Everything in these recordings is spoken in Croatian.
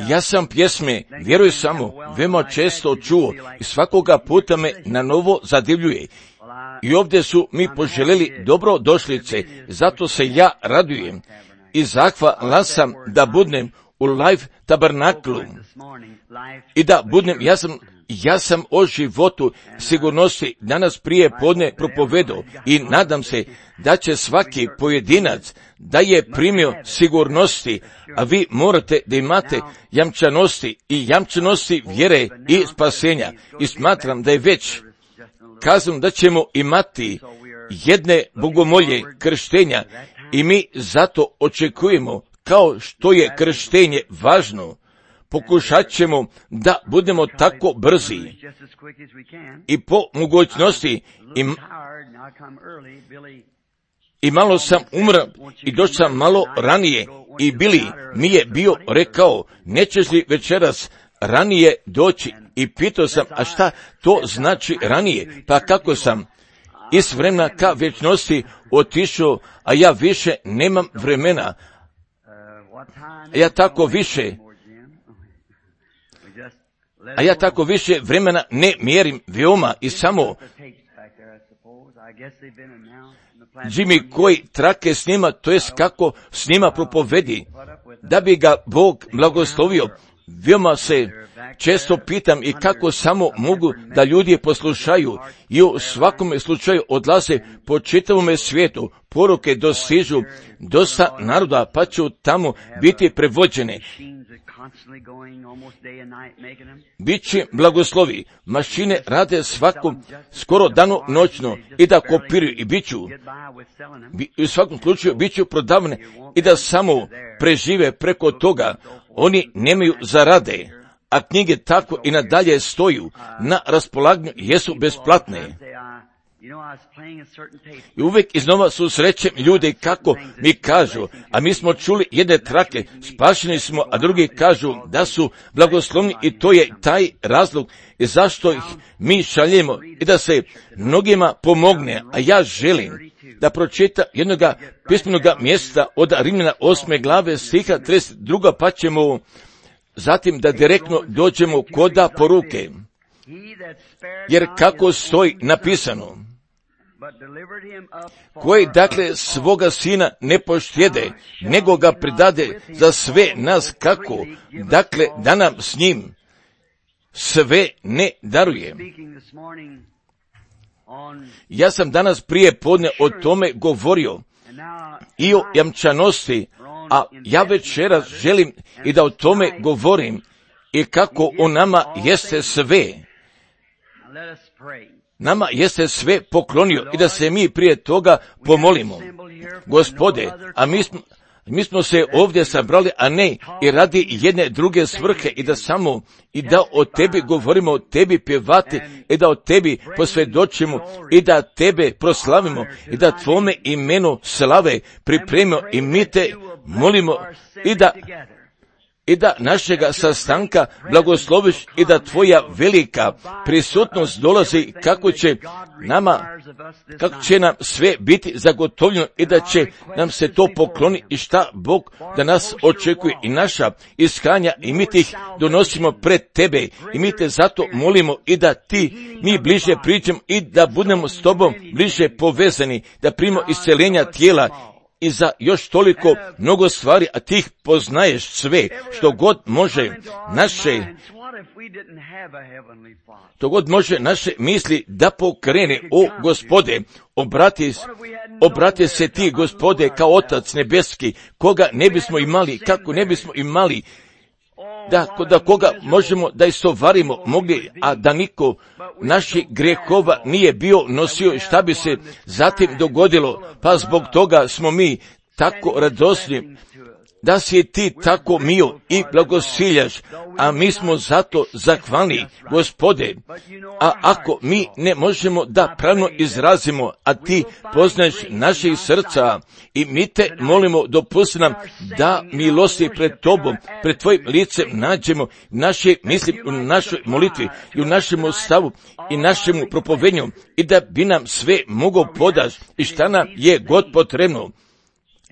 Ja sam pjesme Vjeruj samo veoma često čuo i svakoga puta me na novo zadivljuje. I ovdje su mi poželjeli dobrodošlice, zato se ja radujem i zahvalan sam da budem u Life Tabernaklu i da budem, ja sam o životu sigurnosti danas prije podne propovedao i nadam se da će svaki pojedinac da je primio sigurnosti, a vi morate da imate jamčanosti vjere i spasenja. I smatram da je već kazano da ćemo imati jedne bogomolje krštenja i mi zato očekujemo, kao što je krštenje važno, pokušat ćemo da budemo tako brzi i po mogućnosti i malo sam umran i došao sam malo ranije i Bili mi je bio rekao, nećeš li večeras ranije doći? I pitao sam, a šta to znači ranije? Pa kako sam iz vremena ka vječnosti otišao, a ja više nemam vremena, ja tako više vremena ne mjerim veoma i samo Jimmy koji trake snima, to jest kako snima propovedi, da bi ga Bog blagoslovio. Veoma se često pitam i kako samo mogu da ljudi poslušaju i u svakome slučaju odlaze po čitavome svijetu, poruke dostižu dosta naroda pa će tamo biti prevođene. Biće blagoslovi, mašine rade skoro dano noćno i da kopiraju i u svakom slučaju biću prodavane i da samo prežive preko toga. Oni nemaju zarade, a knjige tako i nadalje stoju na raspolaganju, jesu besplatne. I uvijek iznova susrećem ljude kako mi kažu, a mi smo čuli jedne trake, spašeni smo, a drugi kažu da su blagoslovni i to je taj razlog i zašto ih mi šaljemo i da se mnogima pomogne. A ja želim da pročita jednoga pismenoga mjesta od Rimljana 8. glave stiha 32. pa ćemo zatim da direktno dođemo koda poruke. Jer kako stoji napisano, koji dakle svoga sina ne poštjede, nego ga predade za sve nas, kako dakle da nam s njim sve ne daruje. Ja sam danas prije podne o tome govorio i o jamčanosti, a ja večeras želim i da o tome govorim i kako o nama jeste sve. Nama jeste sve poklonio i da se mi prije toga pomolimo. Gospode, a mi smo se ovdje sabrali, a ne i radi jedne druge svrhe i da samo i da o tebi govorimo, o tebi pjevati i da o tebi posvjedočimo i da tebe proslavimo i da tvome imenu slave pripremimo i mi te molimo i da našega sastanka blagosloviš i da tvoja velika prisutnost dolazi kako će nam sve biti zagotovljeno i da će nam se to pokloni i šta Bog da nas očekuje i naša iskanja i mi ih donosimo pred tebe i mi te zato molimo i da mi bliže pričamo i da budemo s tobom bliže povezani, da primimo isceljenja tijela i za još toliko mnogo stvari, a ti ih poznaješ sve, što god može naše misli da pokrene. O Gospode, obrati se ti, Gospode, kao Otac nebeski, koga ne bismo imali, kako ne bismo imali, da koga možemo da istovarimo mogli, a da niko naših grehova nije bio nosio, šta bi se zatim dogodilo, pa zbog toga smo mi tako radosni da si ti tako mio i blagosiljaš, a mi smo zato zahvalni, Gospode. A ako mi ne možemo da pravno izrazimo, a ti poznaješ naših srca i mi te molimo, dopusti nam da milosti pred tobom, pred tvojim licem nađemo naše misli u našoj molitvi i u našemu stavu i našemu propovednju i da bi nam sve mogao podaš i šta nam je god potrebno.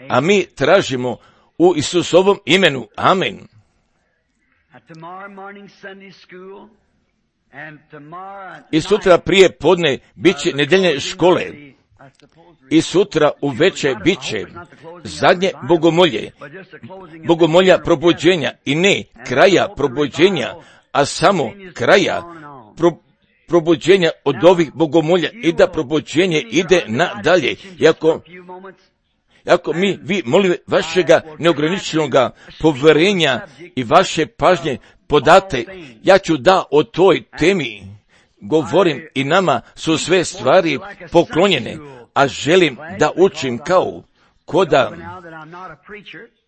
a mi tražimo u Isusovom imenu. Amen. I sutra prije podne bit će nedeljne škole. I sutra uveče bit će zadnje bogomolja probuđenja i ne kraja probuđenja, a samo kraja probuđenja od ovih bogomolja i da probuđenje ide nadalje. Ako vi molim vašega neograničenoga poverenja i vaše pažnje podate, ja ću da o toj temi govorim i nama su sve stvari poklonjene, a želim da učim kao koda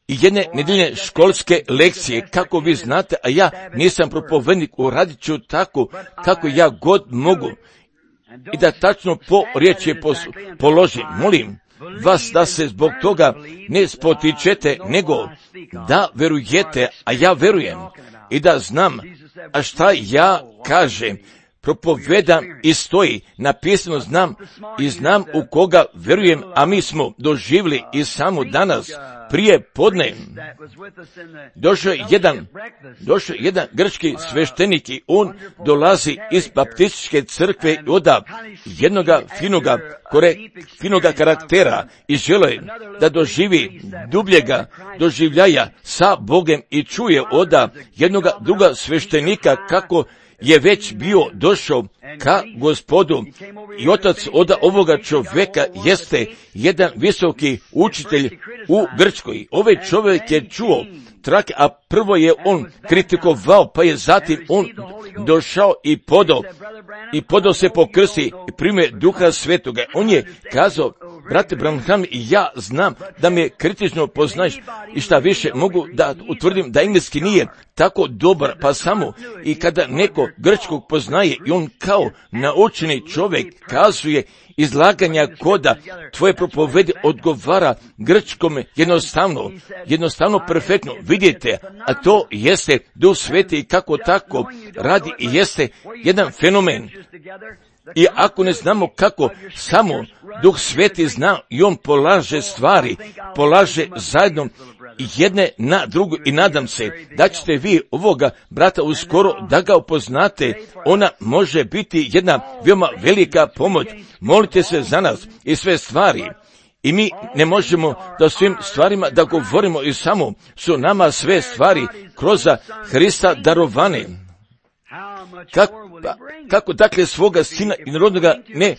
i jedne nedeljne školske lekcije, kako vi znate, a ja nisam propovednik, uradit ću tako kako ja god mogu i da tačno po riječi položim. Molim vas da se zbog toga ne spotičete, nego da verujete, a ja verujem i da znam, a šta ja kažem, propovedam i stoji, napisano znam i znam u koga verujem, a mi smo doživjeli i samo danas, prije podne, došao je jedan grčki sveštenik i on dolazi iz baptističke crkve i oda jednoga finoga karaktera i žele da doživi dubljega doživljaja sa Bogem i čuje oda jednoga druga sveštenika kako je već bio došao ka Gospodu i otac od ovoga čovjeka jeste jedan visoki učitelj u Grčkoj. Ovaj čovjek je čuo trake, a prvo je on kritikovao, pa je zatim on došao i podao se po krsti i primio Duha Svetoga. On je kazao, brate Branham, ja znam da me kritično poznaješ i šta više mogu da utvrdim da engleski nije tako dobar, pa samo i kada neko grčkog poznaje i on kao naučeni čovjek kazuje izlaganja koda tvoje propovedi odgovara grčkome jednostavno perfektno. Vidite, a to jeste Duh Sveti i kako tako radi i jeste jedan fenomen. I ako ne znamo kako, samo Duh Sveti zna i on polaže zajedno jedne na drugu i nadam se da ćete vi ovoga brata uskoro da ga upoznate. Ona može biti jedna veoma velika pomoć. Molite se za nas i sve stvari. I mi ne možemo da svim stvarima da govorimo i samo su nama sve stvari kroz Hrista darovane. Kako dakle svoga sina i narodnoga ne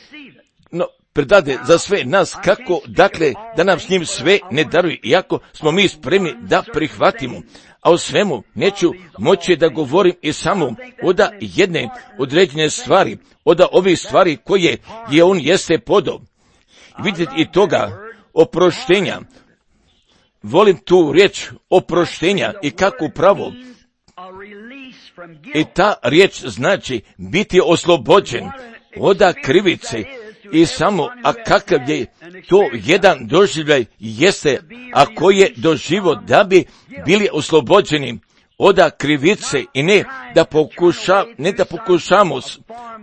predade za sve nas, kako dakle da nam s njim sve ne daruje, iako smo mi spremni da prihvatimo. A o svemu neću moći da govorim i samo oda jedne određene stvari, oda ovih stvari koje je on jeste podao. Vidite i toga oproštenja. Volim tu riječ oproštenja i kako pravo. I ta riječ znači biti oslobođen oda krivice i samo, a kakav je to jedan doživljaj jeste, ako je doživo da bi bili oslobođeni oda krivice i ne da pokušamo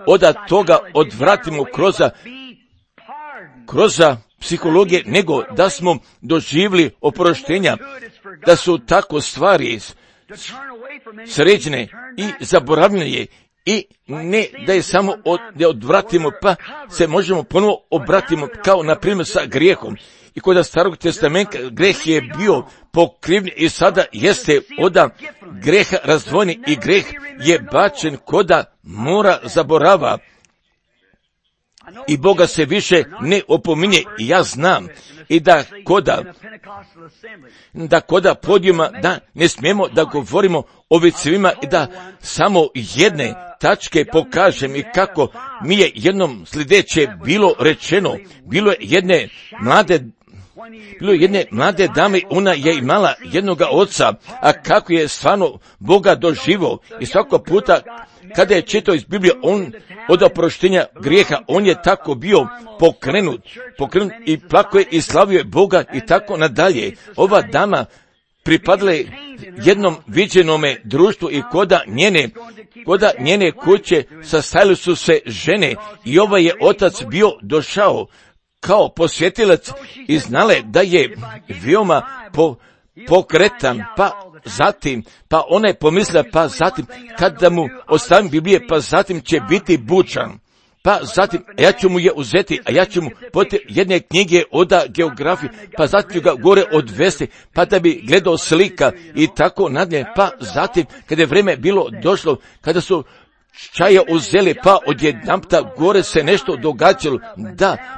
oda toga odvratimo kroz psihologije, nego da smo doživjeli oproštenja, da su tako stvari sređene i zaboravljene i ne da je samo da odvratimo pa se možemo ponovo obratimo kao na primjer sa grijehom. I kod Starog testamenta greh je bio pokriven i sada jeste oda greha razdvojeni i greh je bačen koda mora zaborava. I Boga se više ne opominje i ja znam i da koda podijuma da ne smijemo da govorimo o vicevima i da samo jedne tačke pokažem i kako mi je jednom sljedeće bilo rečeno, bilo je jedne mlade dame, ona je imala jednoga oca, a kako je stvarno Boga doživao i svakog puta kada je čitao iz Biblije, on od oproštenja grijeha, on je tako bio pokrenut i plako je i slavio je Boga i tako nadalje. Ova dama pripadala je jednom viđenome društvu i koda njene kuće sastajale su se žene i ovaj je otac bio došao kao posjetilac i znale da je veoma pokretan, pa ona je pomislila, pa zatim kada mu ostavim Biblije, pa zatim će biti bučan. Pa zatim, ja ću mu je uzeti, a ja ću mu poti jedne knjige od geografije, pa zatim ću ga gore odvesti, pa da bi gledao slika i tako nadalje. Pa zatim, kada je vreme bilo došlo, kada su čaje uzeli, pa odjedanputa gore se nešto događalo,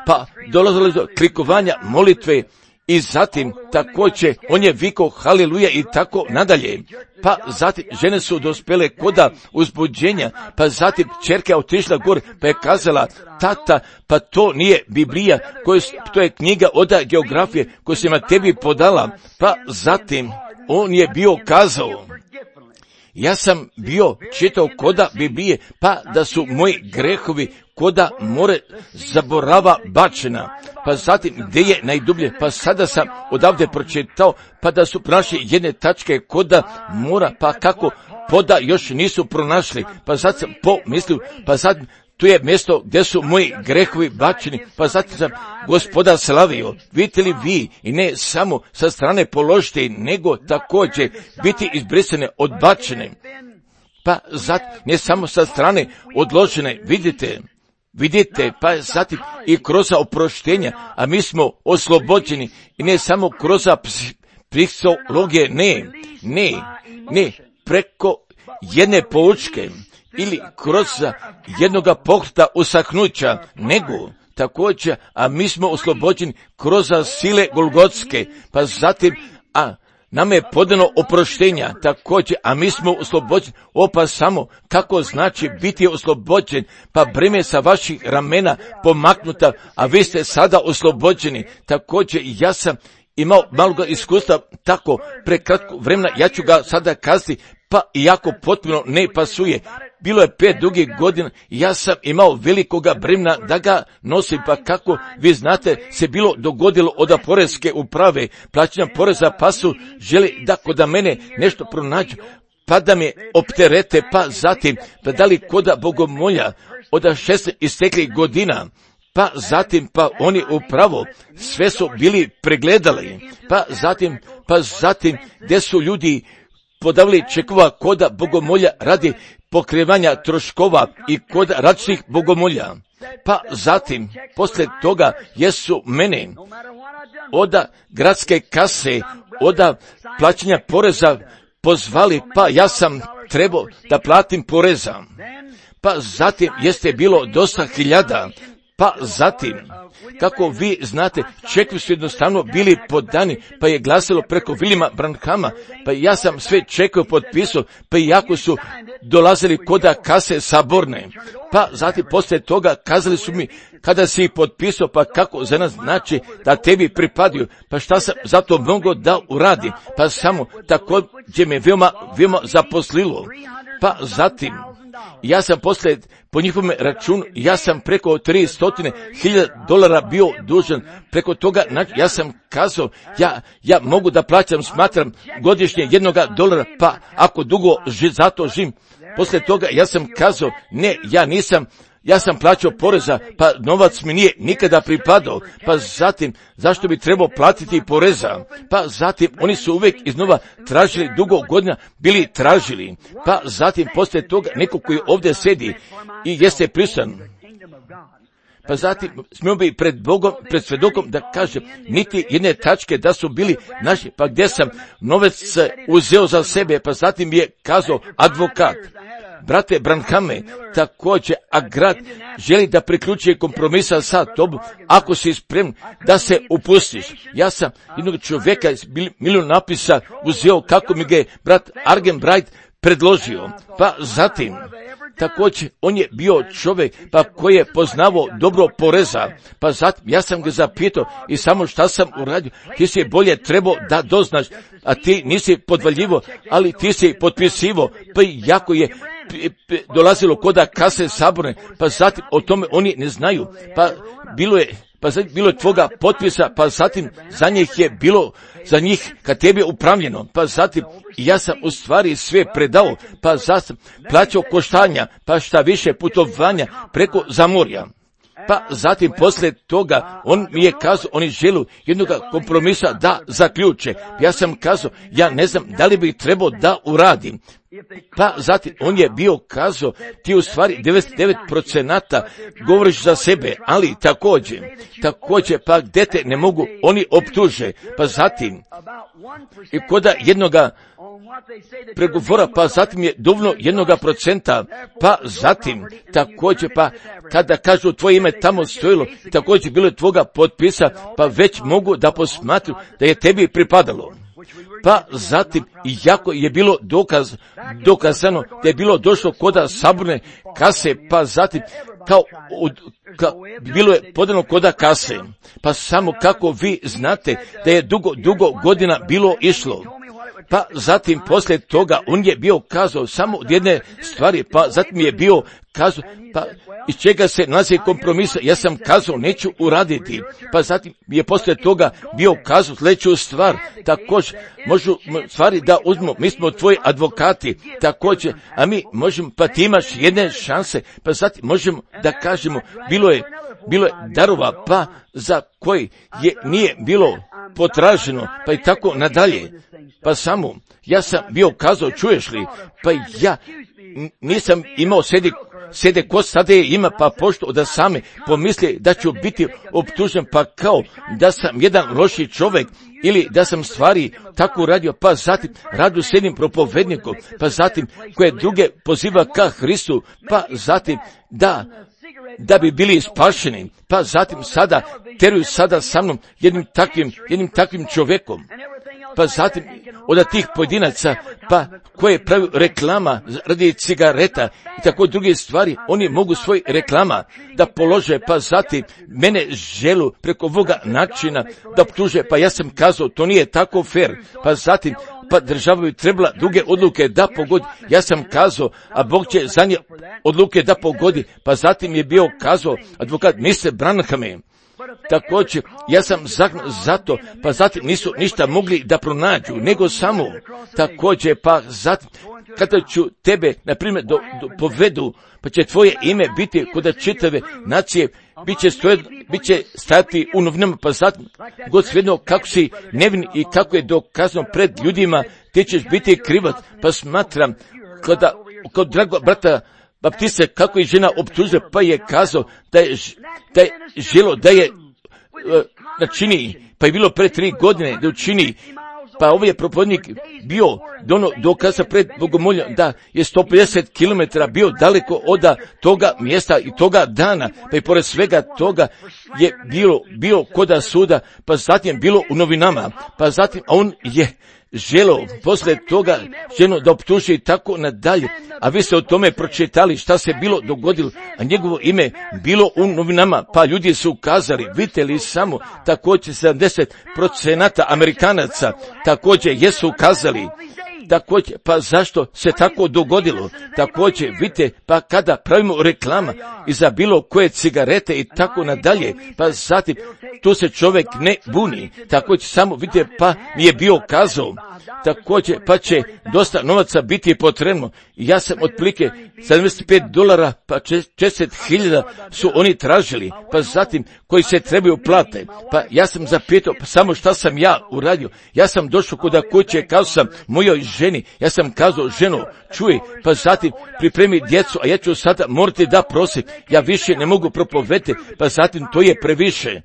pa dolazilo do klikovanja molitve. I zatim također on je vikao haleluja i tako nadalje. Pa zatim žene su dospjele koda uzbuđenja, pa zatim ćerka je otišla gore, pa je kazala, tata, pa to nije Biblija, to je knjiga od geografije koju sam tebi podala. Pa zatim on je bio kazao, ja sam bio čitao koda Biblije, pa da su moji grehovi koda more zaborava bačena. Pa zatim gdje je najdublje, pa sada sam odavde pročitao, pa da su pronašli jedne tačke koda mora, pa kako poda još nisu pronašli. Pa sad sam pomislio, pa zatim tu je mjesto gdje su moji grehovi bačeni, pa zatim sam Gospoda slavio. Vidite li vi, i ne samo sa strane položiti, nego također biti izbrisane, odbačene. Pa zatim ne samo sa strane odložene, vidite, pa zatim i kroz oproštenja, a mi smo oslobođeni, i ne samo kroz psihologije, ne, preko jedne poučke, ili kroz jednoga pokreta usahnuća, nego također, a mi smo oslobođeni kroz sile Golgotske, pa zatim, nam je podano oproštenja također, a mi smo oslobođeni. Pa samo kako znači biti oslobođen, pa breme sa vaših ramena pomaknuta, a vi ste sada oslobođeni. Također ja sam imao malo iskustva, tako prekratko vremena, ja ću ga sada kazati, pa iako potpuno ne pasuje. Bilo je 5 dugih godina, ja sam imao velikoga bremena da ga nosim, pa kako vi znate se bilo dogodilo od poreske uprave, plaćanja poreza, pa su želi da kod mene nešto pronađu, pa da me opterete, pa zatim da dali koda bogomolja od 6 isteklih godina. Pa zatim, pa oni upravo sve su bili pregledali, pa zatim gdje su ljudi podavili čekova koda bogomolja radi pokrivanja troškova i kod različitih bogomolja. Pa zatim, poslije toga, jesu mene od gradske kase, od plaćanja poreza pozvali, pa ja sam trebao da platim poreza. Pa zatim, jeste bilo dosta hiljada. Pa zatim, kako vi znate, čekovi su jednostavno bili podani, pa je glasilo preko Williama Branhama, pa ja sam sve čekove potpisao, pa iako su dolazili koda kase saborne. Pa zatim poslije toga kazali su mi, kada si ih potpisao, pa kako za nas znači da tebi pripadaju, pa šta sam zato mogao da uradi, pa samo također me veoma zaposlilo. Pa zatim, ja sam poslije, po njihovom računu, ja sam preko $300,000 bio dužan. Preko toga, ja sam kazao, ja mogu da plaćam, smatram godišnje $1, pa ako dugo zato živim. Poslije toga, ja sam kazao, ne, ja sam plaćao poreza, pa novac mi nije nikada pripadao, pa zatim, zašto bi trebao platiti poreza? Pa zatim, oni su uvijek iznova tražili, dugo godina bili tražili, pa zatim, poslije toga, neko koji ovdje sedi i jeste prisutan, pa zatim smio bi pred Bogom, pred svedokom da kažem, niti jedne tačke da su bili naši, pa gdje sam novac uzeo za sebe, pa zatim je kazao advokat, brate Branhame, također, a grad želi da priključi kompromisa sa tobom, ako si spreman da se upustiš. Ja sam jednog čovjeka iz milijun napisa uzeo kako mi ga je brat Argenbright predložio, pa zatim, također, on je bio čovjek pa koji je poznavao dobro poreza, pa zatim ja sam ga zapitao i samo šta sam uradio, ti si bolje trebao da doznaš, a ti nisi podvaljivo, ali ti si potpisivo, pa jako je dolazilo koda kase saborne, pa zatim o tome oni ne znaju, pa bilo je tvoga potpisa, pa zatim za njih kad tebi je upravljeno, pa zatim ja sam u stvari sve predao, pa zatim plaćao koštanja, pa šta više putovanja preko zamorja. Pa zatim poslije toga on mi je kazao, oni žele jednog kompromisa da zaključe. Ja sam kazao, ja ne znam da li bi trebao da uradim. Pa zatim on je bio kazao, ti u stvari 99% govoriš za sebe, ali također pa gdje te ne mogu, oni optuže. Pa zatim i koda jednoga pregovora, pa zatim je dovoljno 1%, pa zatim također pa kada kažu tvoje ime tamo stojilo, također bilo je tvoga potpisa, pa već mogu da posmatru da je tebi pripadalo. Pa zatim, iako je bilo dokazano da je bilo došlo koda saborne kase, pa zatim bilo je podano koda kase, pa samo kako vi znate da je dugo godina bilo išlo. Pa zatim poslije toga on je bio kazao samo od jedne stvari, pa zatim je bio kazao, pa iz čega se nalazi kompromisa, ja sam kazao neću uraditi, pa zatim je poslije toga bio kazao sljedeću stvar, također možu stvari da uzmemo, mi smo tvoji advokati, također, a mi možemo, pa ti imaš jedne šanse, pa zatim možemo da kažemo, bilo je darova, pa za koji nije bilo potraženo, pa i tako nadalje. Pa ja sam bio kazao, čuješ li, pa ja nisam imao sjede ko sada je ima, pa pošto da sami pomisli da ću biti optužen, pa kao da sam jedan loši čovjek, ili da sam stvari tako radio, pa zatim radu s jednim propovednikom, pa zatim koje druge poziva ka Hristu, pa zatim da bi bili spašeni, pa zatim sada teruju sada sa mnom jednim takvim čovjekom. Pa zatim od tih pojedinaca, pa koje pravi reklama radi cigareta i tako druge stvari, oni mogu svoj reklama da polože, pa zatim mene želu preko ovoga načina da optuže, pa ja sam kazao, to nije tako fair, pa zatim pa država bi trebala druge odluke da pogodi. Ja sam kazao, a Bog će za nje odluke da pogodi, pa zatim je bio kazao advokat Mr. Branhame. Također, ja sam zato, pa zatim nisu ništa mogli da pronađu, nego samo, također, pa zatim, kada ću tebe, na primjer, povedu, pa će tvoje ime biti kod čitave nacije, bit će stajati u novinama, pa zatim, god svejedno kako si nevin i kako je dokazano pred ljudima, ti ćeš biti krivac, pa smatram, kod drago brata Baptiste, kako je žena optužila, pa je kazao da je želo da je načini, pa je bilo pre 3 godine da učini, pa ovaj je propovednik bio dokaza pred Bogomoljom da je 150 km bio daleko od toga mjesta i toga dana, pa i pored svega toga je bilo koda suda, pa zatim bilo u novinama, pa zatim on je želo poslije toga ženu da optuži i tako nadalje, a vi ste o tome pročitali šta se bilo dogodilo, a njegovo ime bilo u novinama, pa ljudi su kazali, vidite li samo, također 70% Amerikanaca također jesu kazali, također, pa zašto se tako dogodilo, također, vidite, pa kada pravimo reklama i za bilo koje cigarete i tako nadalje, pa zatim, tu se čovjek ne buni, također, samo vidite, pa mi je bio kazao, također, pa će dosta novaca biti potrebno, ja sam otprilike $75, pa 40.000 su oni tražili, pa zatim, koji se trebaju plate, pa ja sam zapitao, pa samo šta sam ja uradio, ja sam došao kuda kuće, kazao sam mojoj ženi, ja sam kazao, ženo, čuj, pa zatim pripremi djecu, a ja ću sada morati da prosim, ja više ne mogu propovedati, pa zatim to je previše.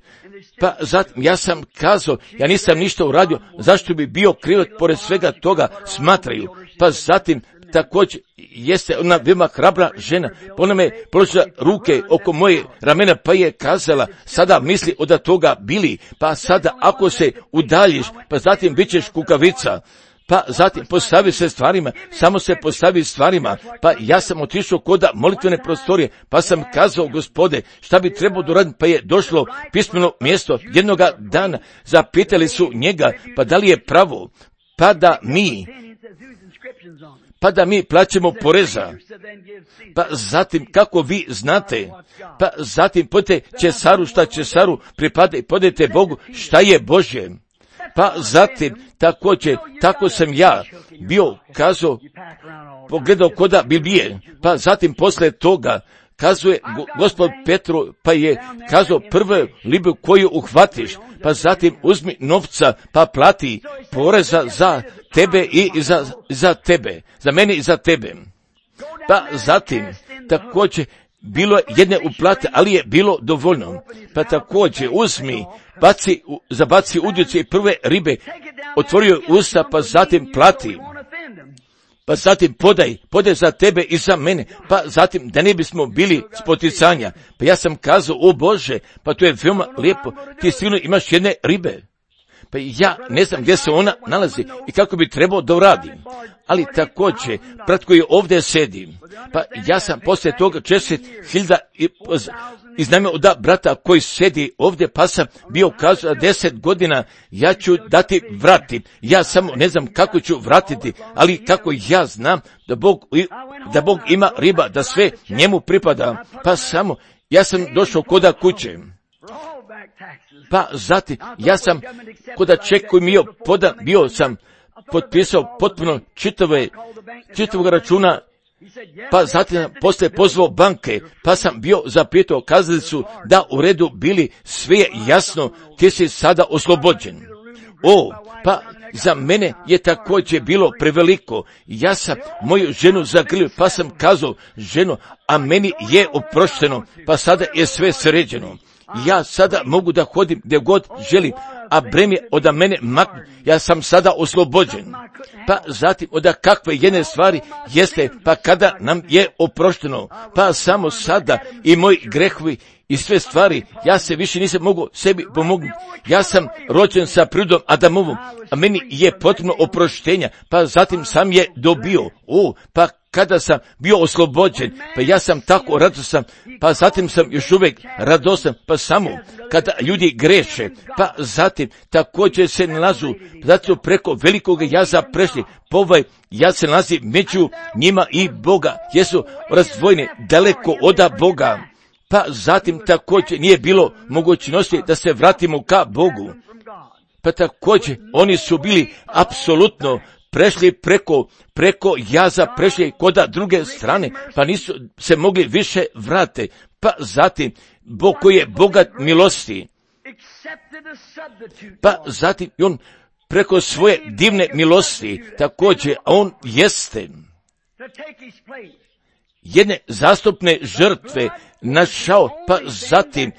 Pa zatim ja sam kazao, ja nisam ništa uradio, zašto bi bio krivac pored svega toga, smatraju. Pa zatim također jeste ona veoma hrabra žena, ona me položila ruke oko moje ramena, pa je kazala, sada misli od toga bili, pa sada ako se udaljiš, pa zatim bit ćeš kukavica. Pa zatim postavi se stvarima, samo se postavi stvarima, pa ja sam otišao kod molitvene prostorije, pa sam kazao, Gospode, šta bi trebao doraditi, pa je došlo pismeno mjesto jednoga dana, zapitali su njega, pa da li je pravo, pa da mi plaćamo poreza, pa zatim kako vi znate, pa zatim podite Česaru šta Česaru pripada i podite Bogu šta je Božje. Pa zatim, također, tako sam ja bio kazao, pogledao koda Biblije, pa zatim posle toga, kazuje gospod Petru, pa je kazao prvu ribu koju uhvatiš, pa zatim uzmi novca, pa plati poreza za tebe i za tebe, za mene i za tebe. Pa zatim također bilo je jedne uplate, ali je bilo dovoljno. Pa također uzmi, zabaci udjuce i prve ribe, otvorio usta, pa zatim plati. Pa zatim podaj za tebe i za mene, pa zatim da ne bismo bili spoticanja. Pa ja sam kazao, o Bože, pa to je veoma lijepo, ti sigurno imaš jedne ribe. Pa ja ne znam gdje se ona nalazi i kako bi trebao da uradim. Ali također, brat koji ovdje sedi, pa ja sam poslije toga 10.000 iznajmio od brata koji sedi ovdje, pa sam bio kazao 10 godina, ja ću dati vrati. Ja samo ne znam kako ću vratiti, ali kako ja znam da Bog ima riba, da sve njemu pripada, pa samo ja sam došao koda kuće. Pa zatim, ja sam koda ček koji mi je podan, bio sam potpisao potpuno čitavog računa, pa zatim poslije pozvao banke, pa sam bio zapitao, kazali su da u redu bili, sve je jasno, ti si sada oslobođen. Pa za mene je također bilo preveliko. Ja sam moju ženu zagrlio, pa sam kazao, ženo, a meni je oprošteno, pa sada je sve sređeno. Ja sada mogu da hodim gdje god želim, a breme od mene maknu, ja sam sada oslobođen. Pa zatim od kakve jedne stvari jeste, pa kada nam je oprošteno, pa samo sada i moji grehovi i sve stvari, ja se više nisam mogu sebi pomognuti. Ja sam rođen sa prirodom Adamovom, a meni je potrebno oproštenja, pa zatim sam je dobio. Pa kada sam bio oslobođen, pa ja sam tako radostan, pa zatim sam još uvijek radostan, pa samo kada ljudi greše, pa zatim također se nalazu, zato preko velikog jaza prešli, ovaj jaz se nalazi među njima i Boga, jesu razdvojeni daleko od Boga, pa zatim također nije bilo mogućnosti da se vratimo ka Bogu. Pa također oni su bili apsolutno prešli preko jaza, prešli koda druge strane, pa nisu se mogli više vrate. Pa zatim, Bog koji je bogat milosti, pa zatim on preko svoje divne milosti, također on jeste jedne zastupne žrtve našao, pa zatim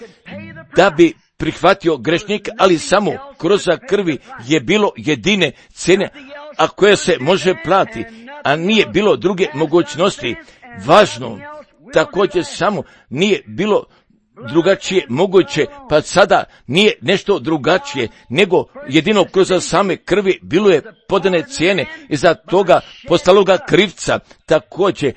da bi prihvatio grešnika, ali samo kroz krvi je bilo jedine cene, a koje se može plati, a nije bilo druge mogućnosti. Važno, također samo nije bilo drugačije moguće, pa sada nije nešto drugačije, nego jedino kroz same krvi bilo je podane cijene i za toga postaloga krivca. Također,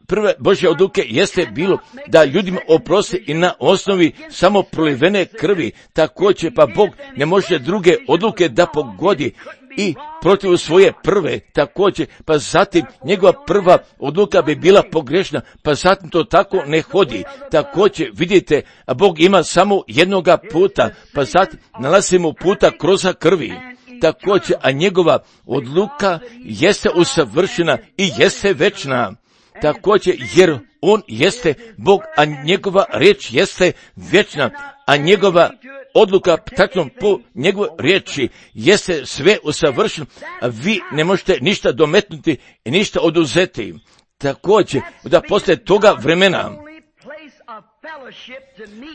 prve Božje odluke jeste bilo da ljudima oprosti i na osnovi samo prolivene krvi. Također, pa Bog ne može druge odluke da pogodi i protiv svoje prve, također, pa zatim njegova prva odluka bi bila pogrešna, pa zatim to tako ne hodi. Također, vidite, a Bog ima samo jednoga puta, pa zatim nalazimo puta kroz krvi. Također, a njegova odluka jeste usavršena i jeste večna. Također, jer on jeste Bog, a njegova riječ jeste vječna, a njegova odluka tačno po njegovoj riječi jeste sve usavršeno, a vi ne možete ništa dometnuti i ništa oduzeti. Također, da poslije toga vremena,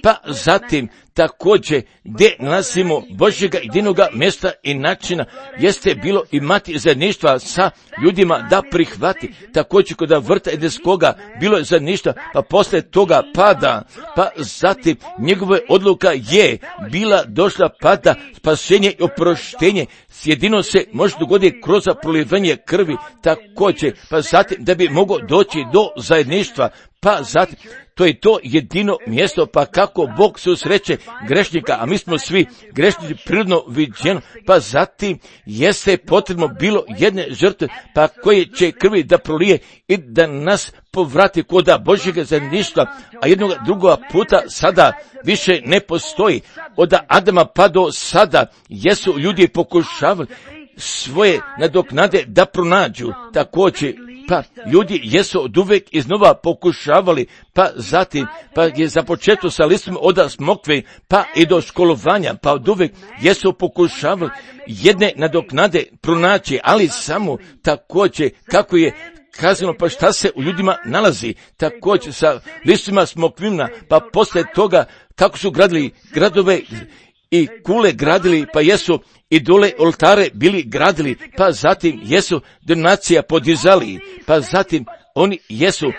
pa zatim također gdje nalazimo Božjega jedinoga mjesta i načina jeste bilo imati zajedništva sa ljudima da prihvati. Također kod vrta Edenskoga bilo je zajedništva, pa poslije toga pada, pa zatim njegova odluka je bila došla pada, spasenje i oproštenje jedino se može dogoditi kroz prolivanje krvi. Također, pa zatim da bi mogao doći do zajedništva, pa zatim to je to jedino mjesto, pa kako Bog se usreće grešnika, a mi smo svi grešnici prirodno viđeno, pa zatim jeste potrebno bilo jedne žrtve, pa koje će krvi da prolije i da nas povrati koda Božjega zajedništva, a jednog drugoga puta sada više ne postoji. Od Adama pa do sada jesu ljudi pokušavali svoje nadoknade da pronađu. Također pa ljudi jesu od uvek iznova pokušavali, pa zatim, pa je započeto sa listom od smokve, pa i do školovanja, pa od uvek jesu pokušavali jedne nadoknade pronaći, ali samo također kako je kazano, pa šta se u ljudima nalazi, također sa listima smokvina, pa poslije toga kako su gradili gradove i kule gradili, pa jesu i dole oltare bili gradili, pa zatim jesu donacija podizali, pa zatim oni jesu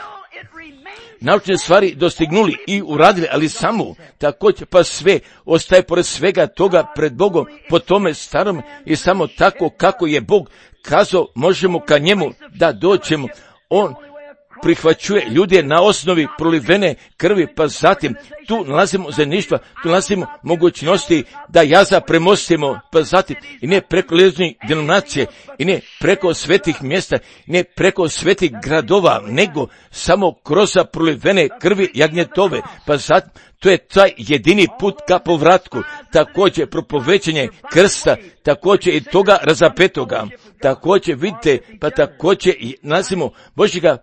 naučne stvari dostignuli i uradili, ali samo također pa sve ostaje pored svega toga pred Bogom po tome starom i samo tako kako je Bog kazao možemo ka njemu da dođemo. On prihvaćuje ljude na osnovi prolivene krvi, pa zatim tu nalazimo zajedništva, tu nalazimo mogućnosti da jaza premostimo, pa zatim i ne preko ličnih denominacije, i ne preko svetih mjesta, i ne preko svetih gradova, nego samo kroz prolivene krvi jagnjetove, pa zatim to je taj jedini put ka povratku, također propovećenje krsta, također i toga razapetoga, također vidite, pa također nalazimo Božjega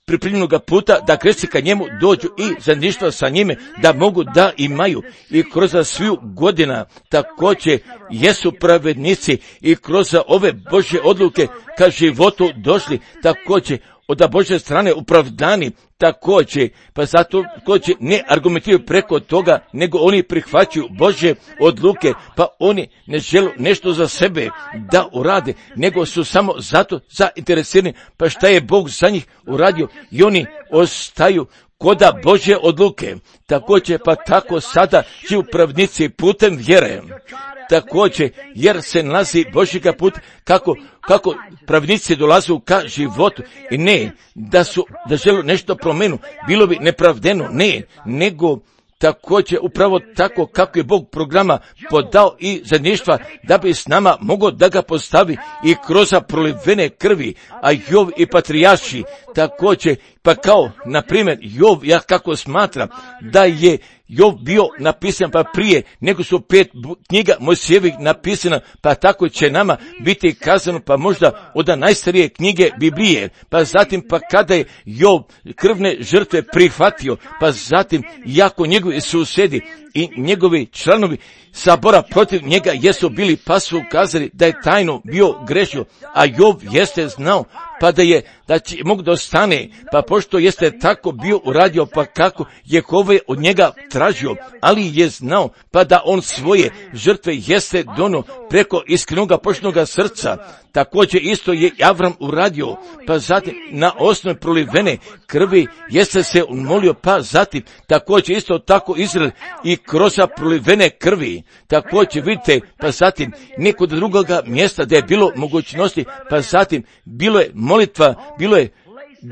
pripremljenoga puta da kršćani ka njemu dođu i zajedništva sa njime da mogu da imaju i kroz sviju godina također jesu pravednici i kroz ove Božje odluke ka životu došli također od Božje strane opravdani također, pa zato također ne argumentiraju preko toga, nego oni prihvaćaju Božje odluke, pa oni ne žele nešto za sebe da urade, nego su samo zato zainteresirani, pa šta je Bog za njih uradio i oni ostaju koda Božje odluke. Također, pa tako sada živu pravnici putem vjere. Također, jer se nalazi Božjega put kako pravnici dolazu ka životu i ne da žele nešto promenu, bilo bi nepravdeno, ne, nego također upravo tako kako je Bog programa podao i zajedništva da bi s nama mogao da ga postavi i kroz prolivene krvi, a Jov i patrijarši također, pa kao na primjer Jov, ja kako smatram da je Jov bio napisan pa prije nego su 5 knjiga Mojsijevih napisana, pa tako će nama biti kazano pa možda od najstarije knjige Biblije, pa zatim pa kada je Jov krvne žrtve prihvatio, pa zatim jako njegovi susjedi i njegovi članovi sabora protiv njega jesu bili, pa su ukazali da je tajno bio grešio, a Jov jeste znao pa da će mogu da ostane, pa pošto jeste tako bio uradio, pa kako Jehova od njega tražio, ali je znao pa da on svoje žrtve jeste dono preko iskrenoga poštenoga srca. Također isto je Avram uradio, pa zatim na osnovi prolivene krvi jeste se molio, pa zatim također isto tako Izrael i kroz prolivene krvi. Također vidite, pa zatim nekog drugoga mjesta da je bilo mogućnosti, pa zatim bilo je molitva,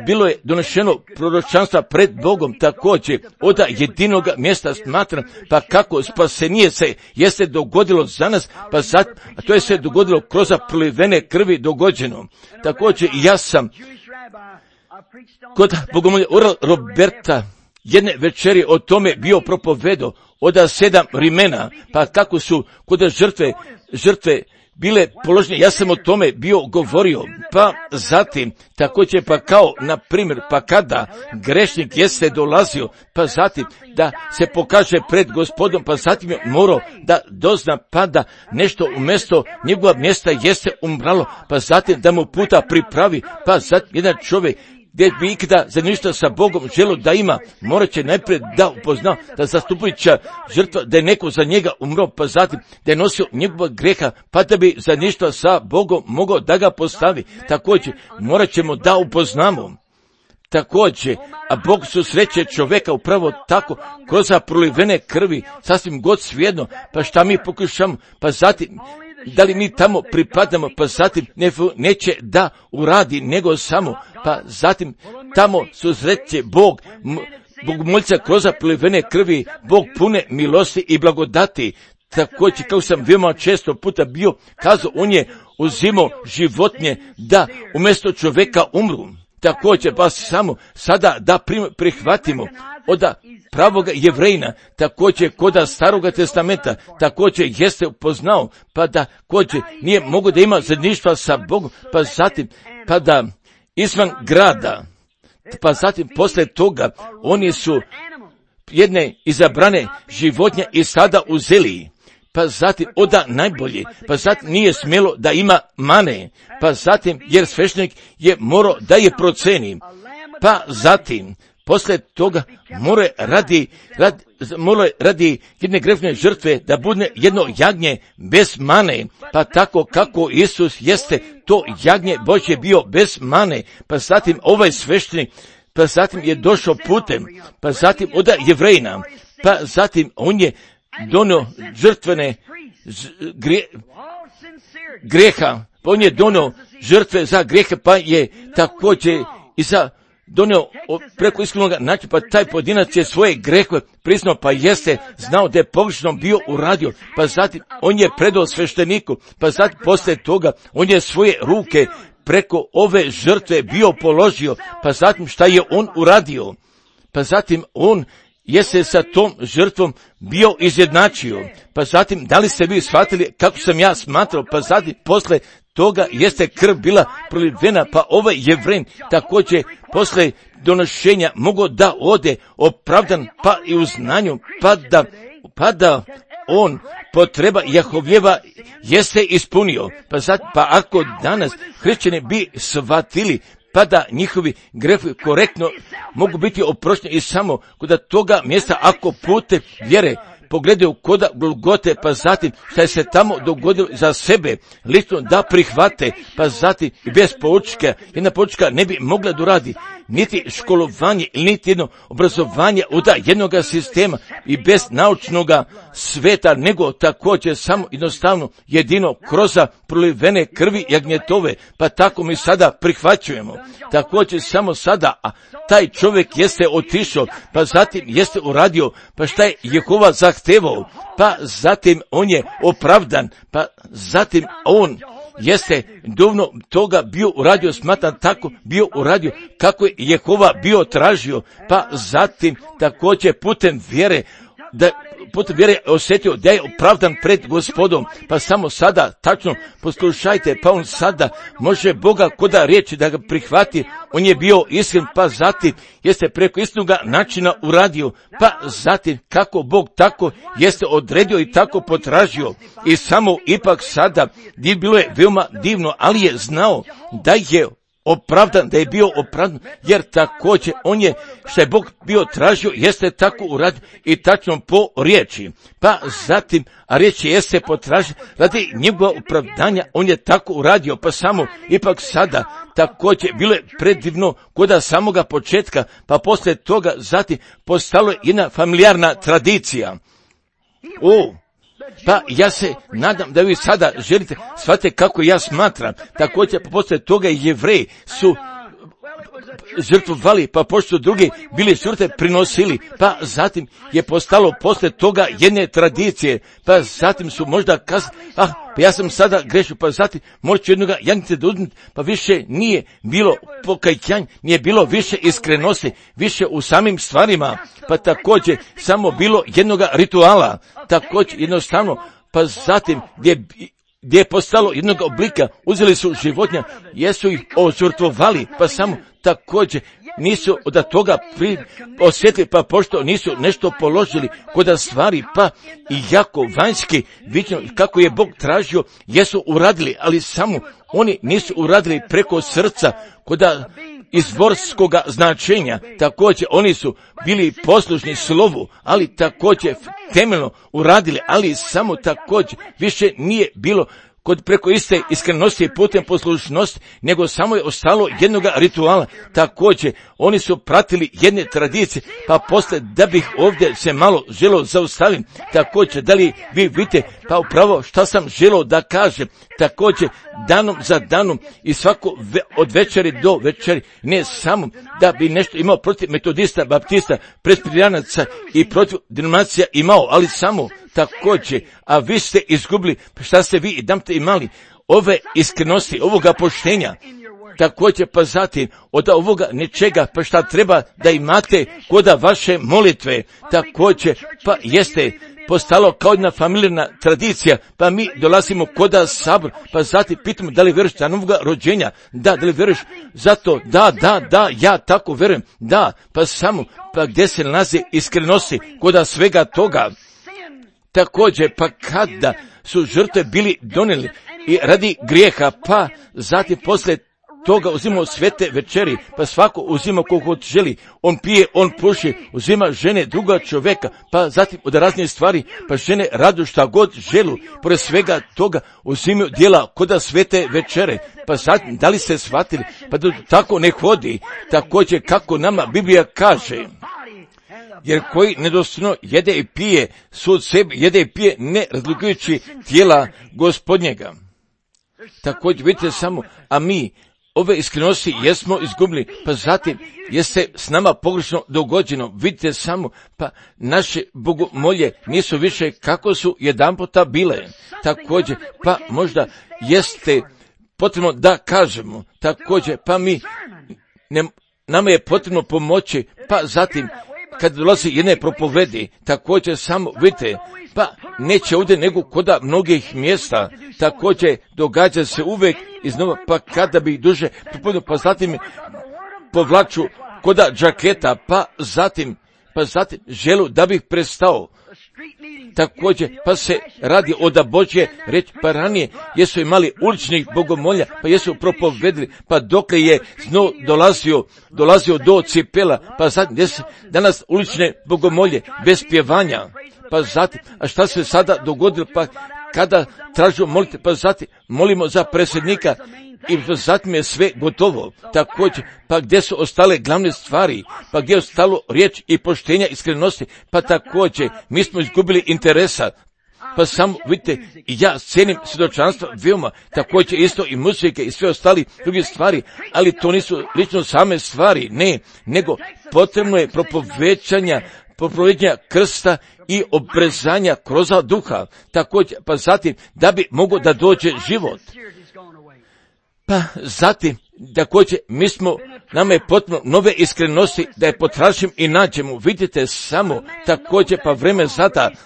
bilo je donešeno proročanstva pred Bogom, također od jedinog mjesta smatram, pa kako spasenije se jeste dogodilo za nas, pa sad, a to je se dogodilo kroz prolivene krvi dogođeno. Također ja sam kod bogomolja Oral Roberta jedne večeri o tome bio propovedo od 7 vrimena, pa kako su kod žrtve bile položene, ja sam o tome bio govorio, pa zatim također pa kao na primjer pa kada grešnik jeste dolazio, pa zatim da se pokaže pred Gospodom, pa zatim je morao da dozna pa da nešto umjesto njegova mjesta jeste umralo, pa zatim da mu puta pripravi, pa zatim jedan čovjek gdje bi ikada za ništa sa Bogom želo da ima, morat će najprije da upoznao da zastupujuća žrtva, da je neko za njega umro, pa zatim da je nosio njegova greha, pa da bi za ništa sa Bogom mogao da ga postavi. Također morat ćemo da upoznamo. Također, a Bog susreće čovjeka upravo tako, kroz prolivene krvi, sasvim god svijedno, pa šta mi pokušamo, pa zatim da li mi tamo pripadamo, pa zatim neće da uradi, nego samo, pa zatim tamo susreće Bog moljca kroz prolivene krvi, Bog pune milosti i blagodati. Također, kao sam veoma često puta bio kazao, on je uzimao životinje da umjesto čovjeka umru. Također, pa samo sada da prihvatimo od pravoga Jevrejina, također koda Staroga testamenta, također jeste upoznao, pa da također nije mogo da ima zajedništva sa Bogom, pa zatim, pa da izvan grada, pa zatim posle toga oni su jedne izabrane životinje i sada uzeli, pa zatim oda najbolje, pa zatim nije smjelo da ima mane, pa zatim jer sveštenik je morao da je proceni, pa zatim posle toga mora radi jedne grešne žrtve da bude jedno jagnje bez mane, pa tako kako Isus jeste to jagnje Božje bio bez mane, pa zatim ovaj sveštenik, pa zatim je došao putem, pa zatim od Jevrejina, pa zatim on je donio žrtvene greha, pa on je donio žrtve za grehe, pa je također i za donio preko iskrenog načina, pa taj pojedinac je svoje grehove priznao, pa jeste znao da je pogrešno bio uradio, pa zatim on je predao svešteniku, pa zatim posle toga on je svoje ruke preko ove žrtve bio položio, pa zatim šta je on uradio, pa zatim on jeste sa tom žrtvom bio izjednačio, pa zatim da li ste vi shvatili kako sam ja smatrao, pa zatim posle toga jeste krv bila prolivena, pa ovaj Jevrej također posle donošenja mogao da ode opravdan, pa i u znanju, pa da on potreba Jahovljeva jeste ispunio, pa ako danas hrišćani bi shvatili, pa da njihovi grehovi korektno mogu biti oprošteni i samo kod toga mjesta ako pute vjere pogledaju koda Golgote, pa zatim šta je se tamo dogodilo za sebe, lično da prihvate, pa zatim bez poučka, jedna poučka ne bi mogla da radi, niti školovanje, niti jedno obrazovanje od jednog sistema i bez naučnog sveta, nego također samo jednostavno jedino kroz prolivene krvi jagnjetove, pa tako mi sada prihvaćujemo. Također samo sada, a taj čovjek jeste otišao, pa zatim jeste uradio, pa šta je Jehova zahtevao, pa zatim on je opravdan, pa zatim on jeste dovoljno toga bio uradio, smatram tako bio uradio kako je Jehova bio tražio, pa zatim također putem vjere osjetio da je opravdan pred Gospodom, pa samo sada, tačno poslušajte, pa on sada može Boga koda riječi da ga prihvati, on je bio iskren, pa zatim jeste preko istinoga načina uradio, pa zatim kako Bog tako jeste odredio i tako potražio i samo ipak sada bilo je veoma divno, ali je znao da je opravdan, da je bio opravdan, jer također on je, što je Bog bio tražio, jeste tako uradio i tačno po riječi. Pa zatim, a riječ jeste potražio, radi njegova opravdanja, on je tako uradio, pa samo ipak sada također bilo je predivno koda samoga početka, pa poslije toga zatim postalo je jedna familijarna tradicija. Pa ja se nadam da vi sada želite shvatite kako ja smatram. Također poslije toga Jevreji su žrtvovali, pa pošto drugi bili žrtve prinosili, pa zatim je postalo poslije toga jedne tradicije, pa zatim su možda pa ja sam sada grešio, pa zatim možda jednoga jagnice da uzmeti, pa više nije bilo pokajanja, nije bilo više iskrenosti, više u samim stvarima, pa također samo bilo jednoga rituala, također jednostavno, pa zatim gdje je postalo jednog oblika, uzeli su životinja, jesu ih ožrtvovali, pa samo također nisu od toga osjetili, pa pošto nisu nešto položili kod stvari, pa i jako vanjski viđeno kako je Bog tražio, jesu uradili, ali samo oni nisu uradili preko srca kod izvorskog značenja. Također oni su bili poslušni slovu, ali također temeljno uradili, ali samo također više nije bilo kod preko iste iskrenosti i putem poslušnosti, nego samo je ostalo jednog rituala. Također, oni su pratili jedne tradicije, pa posle da bih ovdje se malo želio zaustaviti, također, da li vi vidite, pa upravo šta sam želio da kažem, također, danom za danom i svako od večeri do večeri, ne samo da bi nešto imao protiv metodista, baptista, presbiterijanaca i protiv denominacija imao, ali samo također, a vi ste izgubili, šta ste vi i damte imali, ove iskrenosti, ovoga poštenja, također pa zatim od ovoga nečega, pa šta treba da imate kod vaše molitve, također pa jeste postalo kao jedna familijarna tradicija, pa mi dolazimo koda sabor, pa zatim pitamo da li vjeruješ za novoga rođenja, da li vjeruješ za to, da, ja tako vjerujem, da, pa samo, pa gdje se nalazi iskrenosti koda svega toga. Također, pa kada su žrtve bili donijeli i radi grijeha, pa zatim poslije toga uzimamo svete večeri, pa svako uzima koliko želi, on pije, on puši, uzima žene druga čovjeka, pa zatim od raznih stvari, pa žene radu šta god želu, pored svega toga uzimaju djela koda svete večere, pa zatim, da li ste shvatili, pa da tako ne hodi, također kako nama Biblija kaže, jer koji nedostojno jede i pije, sud sebi jede i pije, ne razlikujući tijela Gospodnjega. Također vidite samo, a mi ove iskrenosti jesmo izgubili, pa zatim jeste s nama pogrešno dogođeno, vidite samo, pa naše bogomolje nisu više kako su jedanputa bile. Također, pa možda jeste potrebno da kažemo, također, pa nama je potrebno pomoći, pa zatim, kad dolazi jedne propovedi, također samo, vidite, pa neće ovdje nego koda mnogih mjesta, također događa se uvijek iznova, pa kada bi duže propovedio, pa zatim povlaču koda džaketa, pa zatim želu da bih prestao. Također, pa se radi o da Božje reći, pa ranije jesu imali uličnih bogomolja, pa jesu propovedili, pa dokle je zno dolazio do cipela, pa zatim danas ulične bogomolje bez pjevanja, pa zatim, a šta se sada dogodilo, pa kada tražimo molite, pa zatim molimo za predsjednika i zatim je sve gotovo. Također, pa gdje su ostale glavne stvari, pa gdje je ostalo riječ i poštenja, iskrenosti, pa također mi smo izgubili interesa. Pa samo vidite, ja cijenim svjedočanstva veoma, također isto i muzike i sve ostali druge stvari, ali to nisu lično same stvari, ne, nego potrebno je propovećanja krsta i obrezanja kroz duha, također, pa zatim da bi mogao da dođe život. Pa zatim, također, nama je potrebno nove iskrenosti da je potražim i nađemo. Vidite samo, također, pa vreme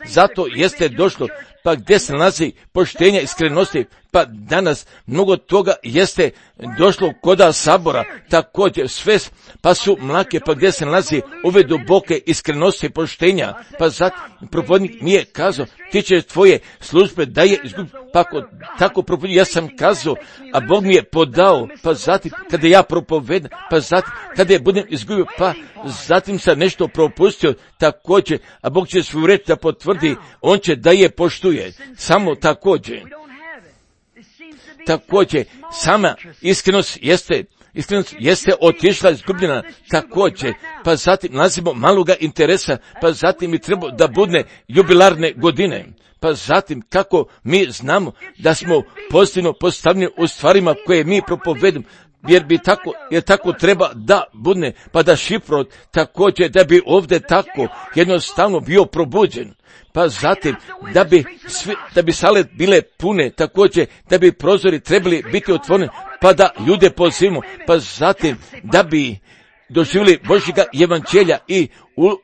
zato jeste došlo, pa gdje se nalazi poštenja iskrenosti, pa danas mnogo toga jeste došlo koda sabora, također sve, pa su mlake, pa gdje se nalazi ove duboke iskrenosti poštenja, pa zato propovjednik mi je kazao, ti ćeš tvoje službe da je izgubio, pa tako propovjednik, ja sam kazao, a Bog mi je podao, pa zatim kada ja propovedam, pa zatim kada je budem izgubio, pa zatim sam nešto propustio, također, a Bog će svoju reč da potvrdi, on će da je poštuje, samo također. Također, sama iskrenost jeste otišla izgubljena, također, pa zatim nalazimo maloga interesa, pa zatim i treba da bude jubilarne godine, pa zatim kako mi znamo da smo pozitivno postavljeni u stvarima koje mi propovedemo, jer tako treba da bude, pa da šifrot također da bi ovdje tako jednostavno bio probuđen. Pa zatim, da bi sale bile pune, također, da bi prozori trebali biti otvoreni, pa da ljude pozivimo, pa zatim, da bi doživjeli Božjega evanđelja i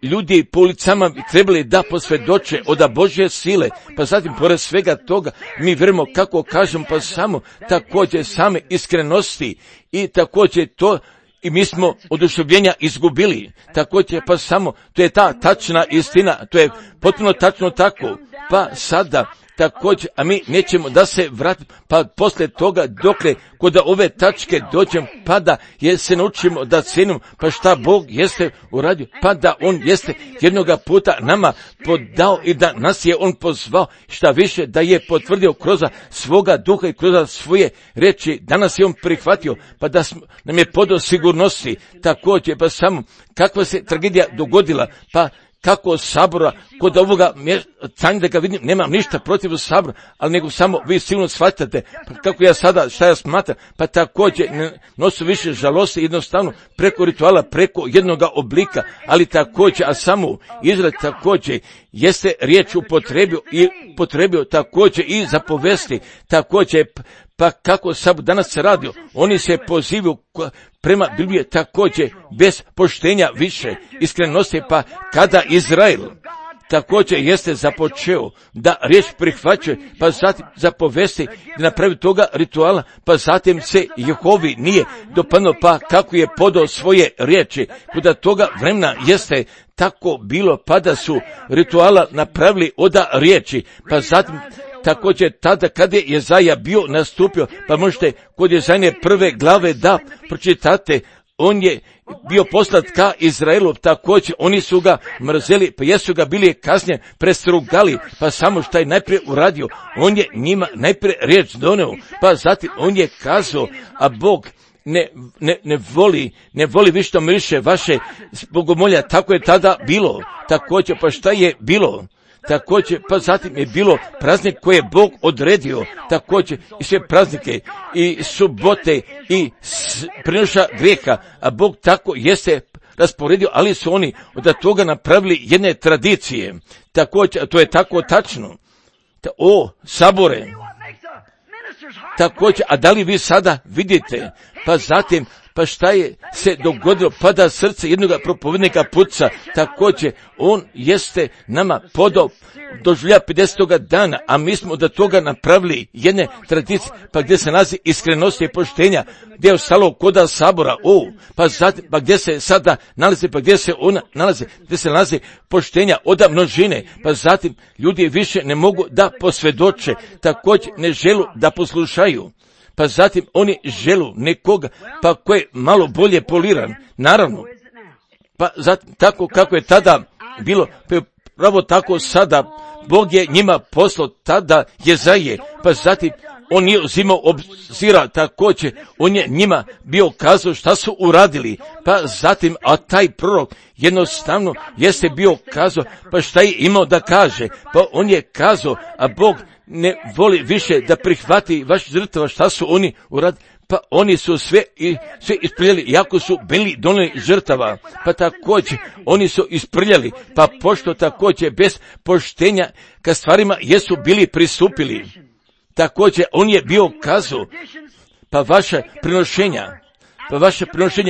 ljudi po ulicama bi trebali da posvjedoče od Božje sile, pa zatim, pored svega toga, mi vjerujemo, kako kažem, pa samo također same iskrenosti i također to, i mi smo oduševljenja izgubili, također pa samo, to je ta tačna istina, to je potpuno tačno tako, pa sada također, a mi nećemo da se vratimo, pa poslije toga dokle kod ove tačke dođemo, pa da se naučimo da cijenimo, pa šta Bog jeste uradio, pa da On jeste jednoga puta nama podao i da nas je On pozvao, šta više da je potvrdio kroz svoga duha i kroz svoje reči, danas je On prihvatio, pa da nam je podao sigurnosti, također, pa samo kakva se tragedija dogodila, pa kako sabora, kod ovoga mjesta, da ga vidim, nemam ništa protiv sabora, ali nego samo vi silno shvatate, pa kako ja sada, šta ja smatram, pa također ne nosu više žalosti, jednostavno preko rituala, preko jednoga oblika, ali također, a samo Izrael također jeste riječ upotrebio također i zapovesti, također, pa kako sabor danas se radi, oni se pozivaju prema Bibliji također bez poštenja više, iskrenosti, pa kada također jeste započeo da riječ prihvaća, pa zatim zapovesti da napravi toga rituala, pa zatim se Jehovi nije dopadno, pa kako je podao svoje riječi, kuda toga vremena jeste tako bilo, pa da su rituala napravili oda riječi, pa zatim također tada kada je Jezaja bio nastupio, pa možete kod Jezajne 1. glave da pročitate, on je bio poslat ka Izraelu, također oni su ga mrzeli, pa jesu ga bili kasnije prestrugali, pa samo što je najprije uradio, on je njima najprije riječ doneo, pa zatim on je kazao, a Bog ne voli više miriše vaše bogomolja, tako je tada bilo, također pa šta je bilo? Također, pa zatim je bilo praznik koje je Bog odredio, također i sve praznike, i subote, i prinoša grijeha, a Bog tako jeste rasporedio, ali su oni od toga napravili jedne tradicije, također, to je tako tačno, sabore, također, a da li vi sada vidite, pa zatim, pa šta je se dogodilo, pa da srce jednoga propovednika puca, također, on jeste nama podao doživlja 50. dana, a mi smo od toga napravili jedne tradicije, pa gdje se nalazi iskrenost i poštenja, gdje je ostalo koda sabora, pa zatim, pa gdje se sada nalazi, pa gdje se ona nalazi, gdje se nalazi poštenja od množine, pa zatim ljudi više ne mogu da posvjedoče, također ne želu da poslušaju, pa zatim oni želu nekoga, pa ko je malo bolje poliran, naravno, pa zatim tako kako je tada bilo, pa je pravo tako sada, Bog je njima poslao tada Jezaje, pa zatim on nije uzimao obzira, također on je njima bio kazao šta su uradili, pa zatim, a taj prorok jednostavno jeste bio kazao, pa šta je imao da kaže, pa on je kazao, a Bog ne voli više da prihvati vaš žrtva, šta su oni uradili, pa oni su sve isprljali, jako su bili donijeli žrtava, pa također oni su isprljali, pa pošto također bez poštenja ka stvarima jesu bili pristupili, također on je bio kazao, pa vaše prinošenja,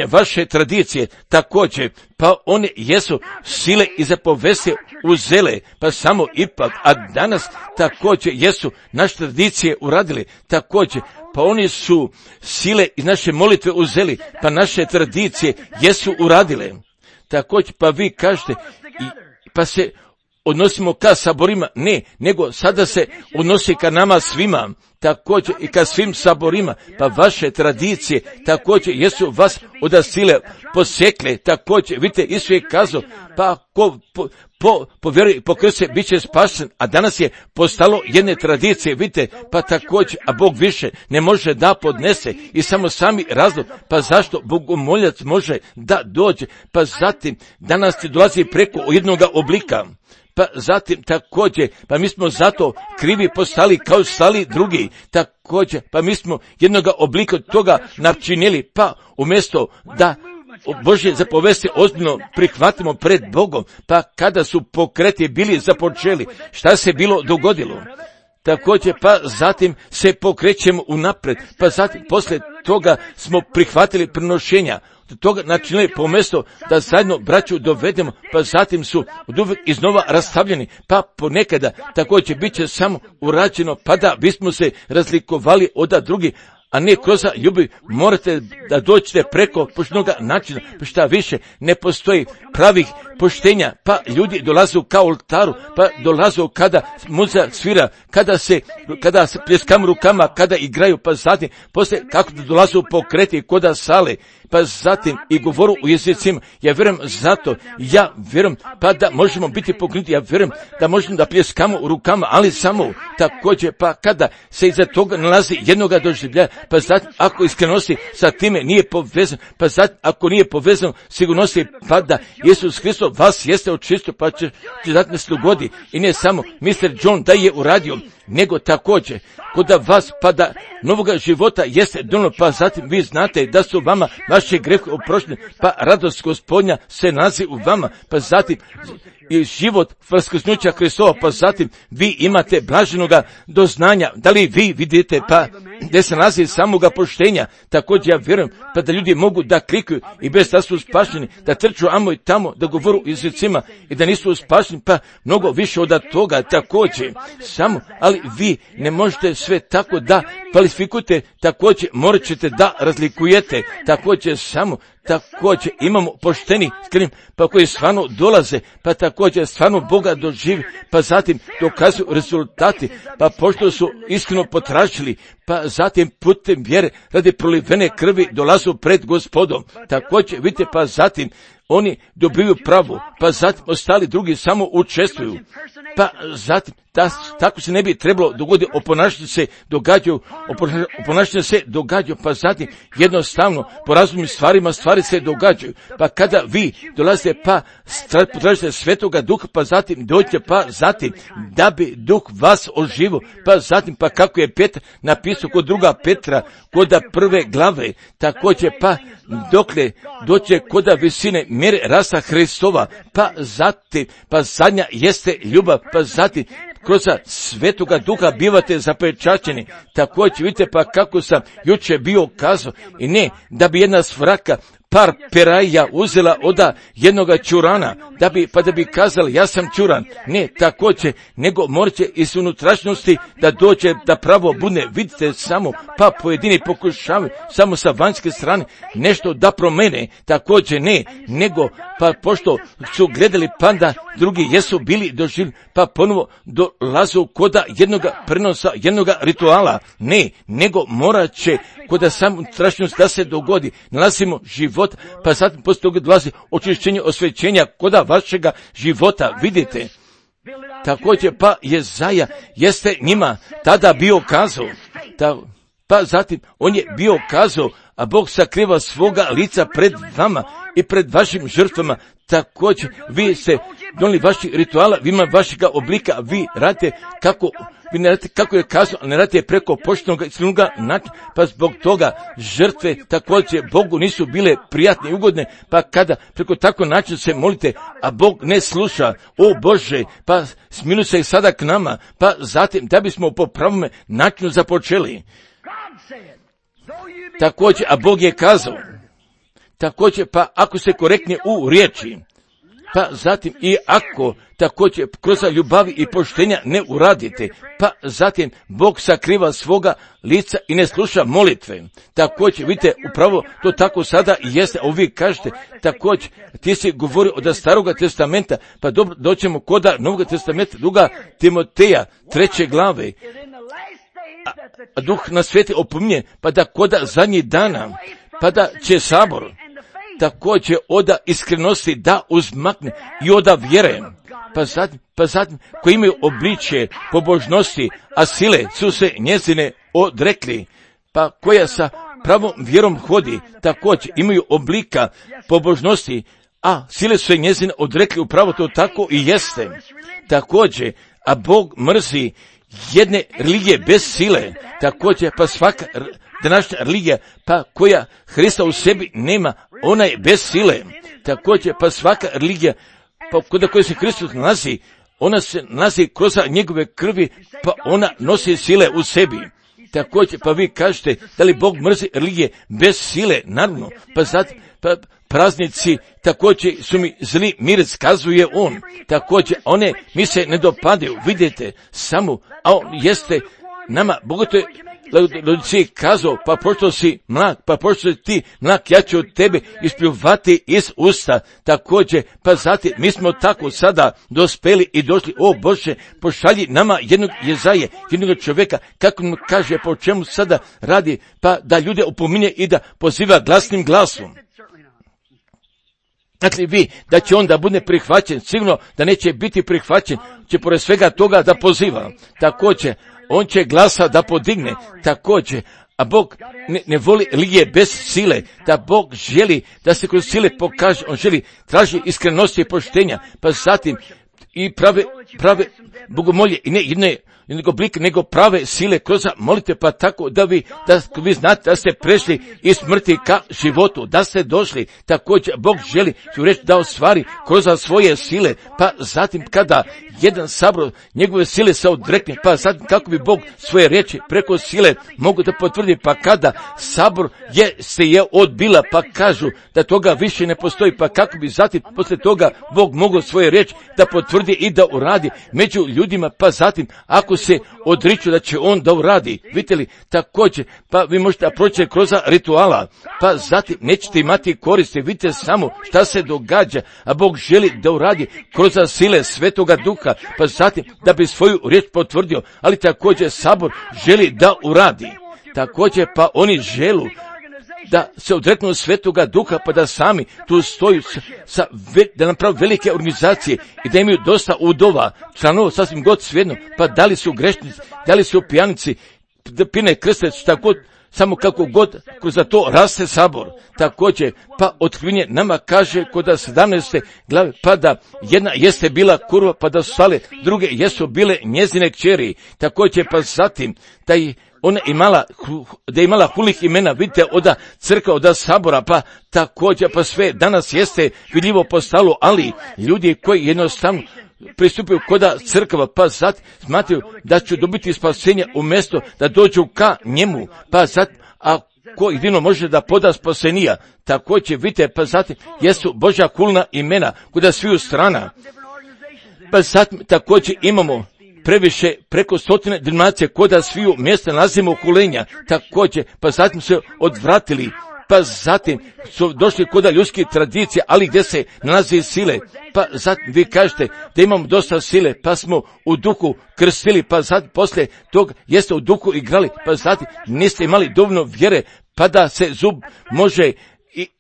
vaše tradicije, također, pa one jesu sile i zapovesti uzele, pa samo ipak, a danas također jesu naše tradicije uradili, također, pa oni su sile iz naše molitve uzeli, pa naše tradicije jesu uradile, također, pa vi kažete, pa se odnosimo ka saborima, ne, nego sada se odnosi ka nama svima, također i ka svim saborima, pa vaše tradicije također jesu vas od sile posekle, također, vidite, Isus je kazao, pa ko po vjeri po krstu bit će spašen, a danas je postalo jedne tradicije, vidite, pa također, a Bog više ne može da podnese i samo sami razlog, pa zašto bogomoljac može da dođe, pa zatim danas ti dolazi preko jednoga oblika, pa zatim također, pa mi smo zato krivi postali kao stali drugi, također, pa mi smo jednoga oblika toga načinili, pa umjesto da Božje zapovesti ozbiljno prihvatimo pred Bogom, pa kada su pokreti bili započeli, šta se bilo dogodilo? Također, pa zatim se pokrećemo unapred, pa zatim poslije toga smo prihvatili prinošenja, toga načinili pomjesto da zajedno braću dovedemo, pa zatim su oduvijek iznova rastavljeni, pa ponekada također bit će samo urađeno, pa da bismo se razlikovali od drugih, a ne kroz ljubav morate da dođete preko poštenoga načina, pa šta više ne postoji pravih poštenja, pa ljudi dolaze ka oltaru, pa dolaze kada muzika svira, kada se pljeskam rukama, kada igraju, pa zatim poslije kako da dolaze u pokreti koda sale, pa zatim i govoru u jezicima. Ja vjerujem, pa da možemo biti pokrenuti, ja vjerujem da možemo da pljeskamo u rukama, ali samo također, pa kada se iza toga nalazi jednoga doživljaja, pa zatim ako iskrenosti sa time nije povezan, pa zatim ako nije povezan sigurnosti, pa da Isus Hristos vas jeste očistio, pa će zatim se dogodi. I ne samo Mr. John da je uradio, nego također kod vas, pa da novoga života jeste donijelo, pa zatim vi znate da su vama vaše grehe oproštene, pa radost Gospodnja se nalazi u vama, pa zatim i život vaskrsnuća Hristova, pa zatim vi imate blaženoga doznanja. Da li vi vidite, pa gdje se nalazi samoga poštenja, također ja vjerujem, pa da ljudi mogu da klikaju i bez da su spašeni, da trču amo i tamo, da govoru jezicima i da nisu spašeni, pa mnogo više od toga također. Samo, ali vi ne možete sve tako da kvalifikujete, također morat ćete da razlikujete, također samo, također imamo pošteni skrim, pa koji stvarno dolaze, pa također stvarno Boga doživi, pa zatim dokazuju rezultati, pa pošto su iskreno potražili, pa zatim putem vjere radi prolivene krvi dolazu pred Gospodom. Također vidite, pa zatim oni dobiju pravu, pa zatim ostali drugi samo učestvuju. Pa zatim, tako se ne bi trebalo dogoditi, oponašanje se događaju, pa zatim jednostavno po razumnim stvarima stvari se događaju. Pa kada vi dolazite, pa potražite Svetoga Duha, pa zatim dođete, pa zatim da bi Duh vas oživo, pa zatim, pa kako je Petar napisao kod druga Petra, kod prve glave, također pa dokle doće kod visine mjere rasta Hristova, pa zatim, pa zadnja jeste ljubav, pa zatim kroz Svetoga Duha bivate zapečaćeni. Također vidite, pa kako sam jučer bio kazao, i ne da bi jedna svraka par peraja uzela od jednoga čurana, da bi kazali ja sam čuran. Ne, također, nego morat će iz unutrašnjosti da dođe da pravo bude. Vidite samo, pa pojedini pokušavaju samo sa vanjske strane nešto da promene, također ne, nego pa pošto su gledali, pa da drugi jesu bili doživljeni, pa ponovo dolazu koda jednoga prenosa, jednoga rituala. Ne, nego morat će koda sam unutrašnjost da se dogodi. Nalazimo život, pa zatim poslije toga dolazi očišćenje, osvećenja koda vašega života. Vidite, također pa Jezaja jeste njima tada bio kazao, pa zatim on je bio kazao, a Bog sakriva svoga lica pred vama i pred vašim žrtvama. Također vi ste donijeli vaših rituala, vi ima vašega oblika, vi radite kako je kazao, ne radite preko poštenog i iskrenog načina, pa zbog toga žrtve također Bogu nisu bile prijatne i ugodne, pa kada preko tako način se molite, a Bog ne sluša, o Bože, pa smiluj se i sada k nama, pa zatim da bismo po pravome načinu započeli. Također, a Bog je kazao, također, pa ako se korektnije u riječi, pa zatim i ako također kroz ljubavi i poštenja ne uradite, pa zatim Bog sakriva svoga lica i ne sluša molitve. Također, vidite, upravo to tako sada i jeste, a vi kažete, također, ti si govorio od Staroga testamenta, pa dobro, doćemo koda Novog testamenta, druga Timoteja, 3. glave, a Duh nas sveti opominje, pa da koda zadnjih dana, pa da će sabor također oda iskrenosti da uzmakne i oda vjere, pa zatim koji imaju obličje pobožnosti, a sile su se njezine odrekli, pa koja sa pravom vjerom hodi, također imaju oblika pobožnosti, a sile su se njezine odrekli, upravo to tako i jeste. Također, a Bog mrzi jedne religije bez sile, također pa svaka današnja religija, pa koja Hrista u sebi nema, ona je bez sile. Također pa svaka religija, pa kod koje se Hristos nalazi, ona se nalazi kroz njegove krvi, pa ona nosi sile u sebi. Također pa vi kažete, da li Bog mrzi religije bez sile? Naravno, pa zatim, pa praznici također su mi zli miris, kazuje on. Također one mi se ne dopadaju, vidite, samo, a on jeste nama, bogoto je Laodiciji kazao, pa pošto si mlak, pa pošto si ti mlak, ja ću od tebe ispljuvati iz usta. Također, pa zatim, mi smo tako sada dospeli i došli, o Bože, pošalji nama jednog Jezaje, jednog čovjeka, kako mu kaže, po čemu sada radi, pa da ljude opominje i da poziva glasnim glasom. Znači vi, da će on da bude prihvaćen, sigurno da neće biti prihvaćen, će pored svega toga da poziva. Također, on će glasa da podigne, također, a Bog ne voli religije bez sile, da Bog želi da se kroz sile pokaže, on želi, traži iskrenosti i poštenja, pa zatim i prave prave bogomolje i ne jedne oblik, nego prave sile kroz molite, pa tako da vi znate da ste prešli iz smrti ka životu, da ste došli, također Bog želi ću reći da ostvari kroz svoje sile, pa zatim kada jedan sabor njegove sile se odrekne, pa zatim kako bi Bog svoje riječi preko sile mogu da potvrdi, pa kada sabor se je odbila, pa kažu da toga više ne postoji, pa kako bi zatim posle toga Bog mogao svoje riječi da potvrdi i da uradi među ljudima, pa zatim ako se odriču da će on da uradi, vidite li, također, pa vi možete proći kroz rituala, pa zatim nećete imati koristi, vidite samo šta se događa, a Bog želi da uradi kroz sile Svetoga Duha, pa zatim da bi svoju riječ potvrdio, ali također sabor želi da uradi, također pa oni želu da se odreknu Svetoga Duha, pa da sami tu stoju da naprave velike organizacije i da imaju dosta udova, članova, sasvim god svejedno, pa da li su grešnici, da li su pijanici, da pine krstec, tako god, samo kako god kroz to raste sabor. Također, pa otkrivenje nama kaže kod 17. glave, pa da jedna jeste bila kurva, pa da su stale, druge jesu bile njezine kćeri. Također, pa zatim da je ona imala hulih imena, vidite, od crkva, od sabora, pa također, pa sve danas jeste vidljivo postalo, ali ljudi koji jednostavno pristupaju koda crkva, pa sad smatraju da će dobiti spasenje umjesto da dođu ka njemu, pa sad, a ko jedino može da poda spasenija, također vidite, pa zatim jesu Božja kulna imena kuda sviju strana, pa zatim također imamo previše preko 100 denominacija koda sviju mjesta nalazimo kulenja, također, pa zatim se odvratili, pa zatim su došli koda ljudskih tradicija, ali gdje se nalazi sile, pa zatim vi kažete da imamo dosta sile, pa smo u duhu krstili, pa zatim poslije tog jeste u duhu igrali, pa zatim niste imali dovoljno vjere, pa da se zub može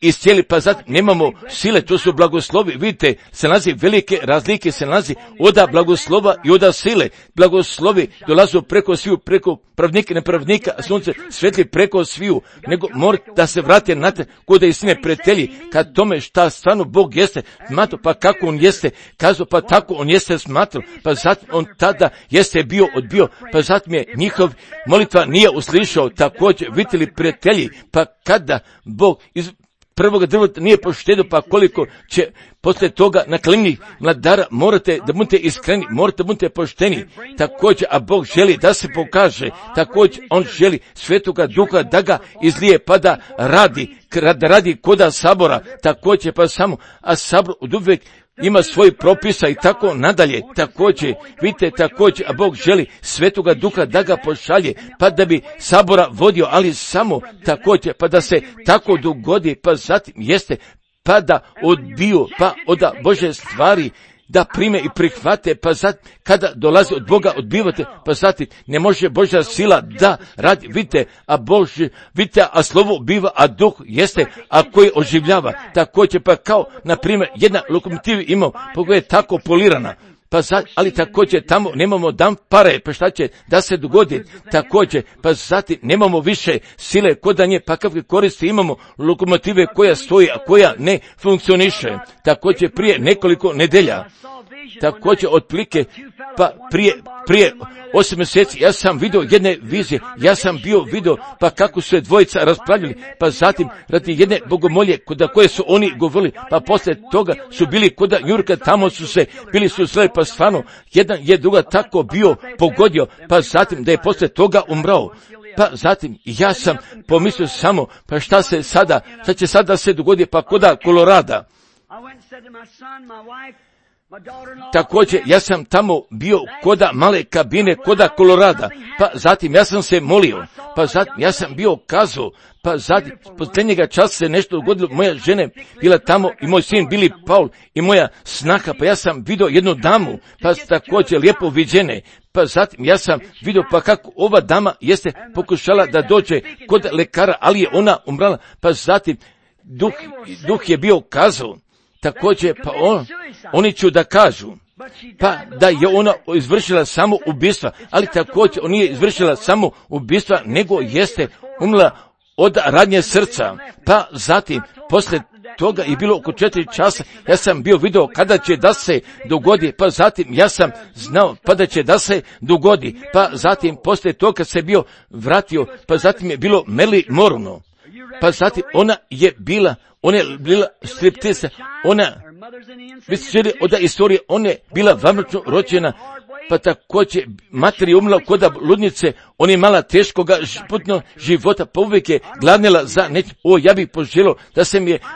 iscijeli, pa zatim nemamo sile, to su blagoslovi, vidite, se nalazi velike razlike, se nalazi oda blagoslova i oda sile, blagoslovi dolazu preko sviju, preko pravnika i nepravnika, a sunce svetli preko sviju, nego morate da se vrate na te kod istine pretelji, kad tome šta stvarno Bog jeste smatrao, pa kako on jeste kazao, pa tako on jeste smatrao, pa zatim on tada jeste bio odbio, pa zatim je njihov molitva nije uslišao, također vidite li pretelji, pa kada Bog iz prvoga drveta nije poštedio, pa koliko će poslije toga na klimnih mladara, morate da budete iskreni, morate da budete pošteni, također, a Bog želi da se pokaže, također on želi Svetoga Duha da ga izlije, pa da radi koda sabora, također, pa samo, a sabor od uvijek ima svoj propisa i tako nadalje, također, vidite, također, a Bog želi Svetoga Duha da ga pošalje, pa da bi sabora vodio, ali samo također, pa da se tako dogodi, pa zatim jeste, pa da odbiju, pa od Bože stvari, da prime i prihvate, pa zatim, kada dolazi od Boga odbivate, pa zatim, ne može Božja sila da radi, vidite, a slovo biva, a duh jeste, a koji oživljava, također, pa kao, na primjer, jedna lokomotiva ima, pogledaj, tako polirana, pa ali također tamo nemamo pare, pa šta će da se dogodi, također, pa zatim nemamo više sile kod nje, pa kakve koristi imamo lokomotive koja stoji, a koja ne funkcioniše, također prije nekoliko nedelja, također otprilike, pa prije 8 mjeseci ja sam vidio jedne vizije, ja sam vidio pa kako su je dvojica raspravljali, pa zatim radi jedne bogomolje koje su oni govorili, pa poslije toga su bili kod Njurka, tamo bili su sve, pa stvarno jedan je druga tako bio pogodio, pa zatim da je poslije toga umrao. Pa zatim ja sam pomislio samo, pa šta će sada se dogodi, pa koda Kolorada. Također, ja sam tamo bio koda male kabine, koda Kolorada, pa zatim ja sam se molio, pa zatim ja sam bio kazao, pa zatim posljednjega časa se nešto dogodilo, moja žena bila tamo i moj sin bili Paul i moja snaha, pa ja sam vidio jednu damu, pa također lijepo viđene, pa zatim ja sam vidio pa kako ova dama jeste pokušala da dođe kod lekara, ali je ona umrala, pa zatim duh je bio kazao, također, pa oni ću da kažu, pa da je ona izvršila samo ubistva, ali također on nije izvršila samo ubistva, nego jeste umrla od radnje srca, pa zatim, posle toga je bilo oko 4 časa, ja sam bio video kada će da se dogodi, pa zatim ja sam znao pa da će da se dogodi, pa zatim poslije toga se bio vratio, pa zatim je bilo Meli Morno, pa zatim ona je bila striptisa, ona, vi ste čuli od istorije, ona je bila vanbračno rođena, pa također mater je umrla kod ludnice, ona je imala teškoga putnog života, pa uvijek je gladnila za nešto. Ja bih poželio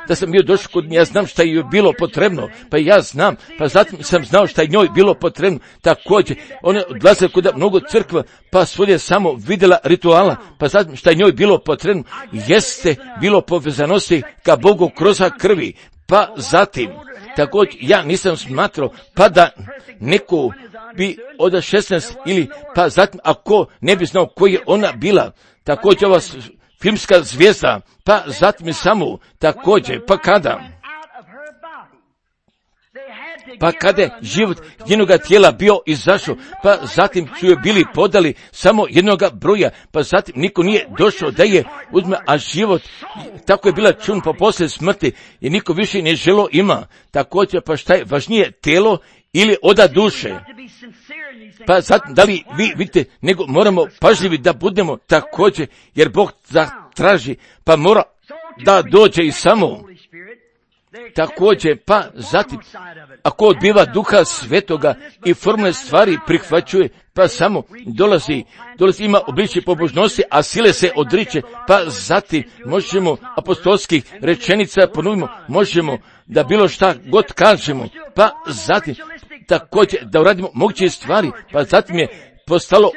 da sam bio došao kod nje, ja znam šta je bilo potrebno, pa ja znam, pa zatim sam znao šta je njoj bilo potrebno. Također, ona je odlazila kod mnogo crkva, pa svoj samo vidjela rituala, pa zatim šta je njoj bilo potrebno, jeste bilo povezanosti ka Bogu kroz krvi, pa zatim, također ja nisam smatrao, pa da neko bi od 16 ili, pa zatim ako ne bi znao koji je ona bila, također ova filmska zvijezda, pa zatim samo, također, pa kada je život njenoga tijela bio izašao, pa zatim su joj bili podali samo jednoga broja, pa zatim niko nije došao da je uzme, a život, tako je bila čun po poslije smrti i niko više ne želo ima. Također, pa šta je važnije, tijelo ili oda duše? Pa zatim, da li vi vidite, nego moramo pažljivi da budemo također, jer Bog traži, pa mora da dođe i samo. Također, pa zatim, ako odbiva Duha Svetoga i formule stvari prihvaćuje, pa samo dolazi ima obličje pobožnosti, a sile se odriče, pa zatim možemo apostolskih rečenica ponovimo, možemo da bilo šta god kažemo, pa zatim također da uradimo moguće stvari, pa zatim je postalo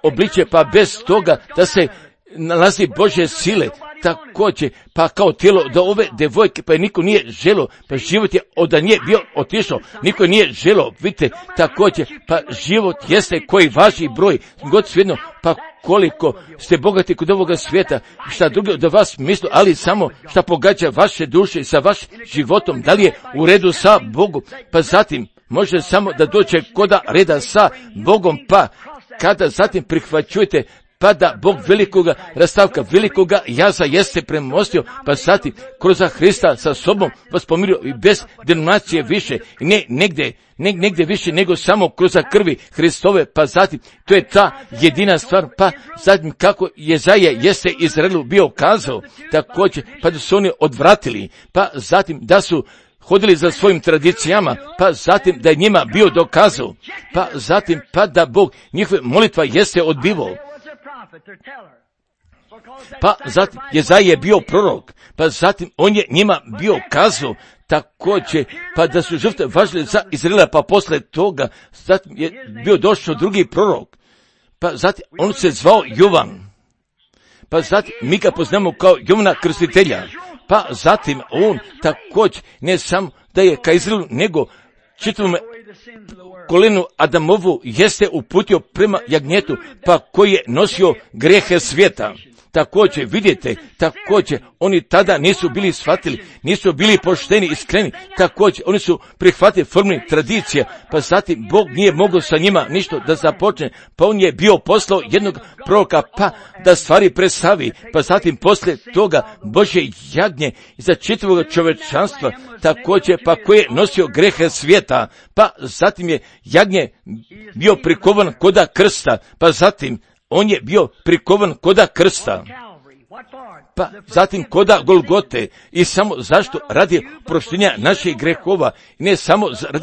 obličje, pa bez toga da se nalazi Božje sile, također, pa kao tijelo do ove devojke, pa je niko nije želo, pa život je od nje bio otišao, niko nije želo, vidite, također, pa život jeste koji važi broj, god svejedno, pa koliko ste bogati kod ovoga svijeta, šta drugo do vas misli, ali samo šta pogađa vaše duše sa vašim životom, da li je u redu sa Bogom, pa zatim može samo da dođe koda reda sa Bogom, pa kada zatim prihvaćujete, pa da Bog velikoga rastavka, velikoga jaza jeste premostio, pa zatim kroz Hrista sa sobom vas pomirio i bez denominacije više, ne negdje više nego samo kroz krvi Hristove, pa zatim to je ta jedina stvar, pa zatim kako Jezaja jeste Izraelu bio kazao, također pa da su oni odvratili, pa zatim da su hodili za svojim tradicijama, pa zatim da je njima bio dokazao, pa zatim pa da Bog njihove molitva jeste odbivao. Pa zatim Jezaja je bio prorok, pa zatim on je njima bio kazao, također, pa da su žrtve važile za Izraela, pa posle toga zatim je bio došao drugi prorok, pa zatim on se zvao Jovan, pa zatim mi ga poznamo kao Jovana Krstitelja, pa zatim on također ne samo da je ka Izraelu, nego čitavom kolenu Adamovu jeste uputio prema jagnjetu, pa koji je nosio grehe svijeta. Također, vidite, također, oni tada nisu bili shvatili, nisu bili pošteni i iskreni, također, oni su prihvatili formu tradicija, pa zatim Bog nije mogao sa njima ništa da započne, pa on je bio poslao jednog proroka, pa da stvari predstavi, pa zatim poslije toga Božje jagnje za čitavog čovečanstva, također, pa koji je nosio grehe svijeta, pa zatim je jagnje bio prikovan koda krsta, pa zatim on je bio prikovan koda krsta, pa zatim koda Golgote, i samo zašto? Radi proštenja naših grehova, ne samo radi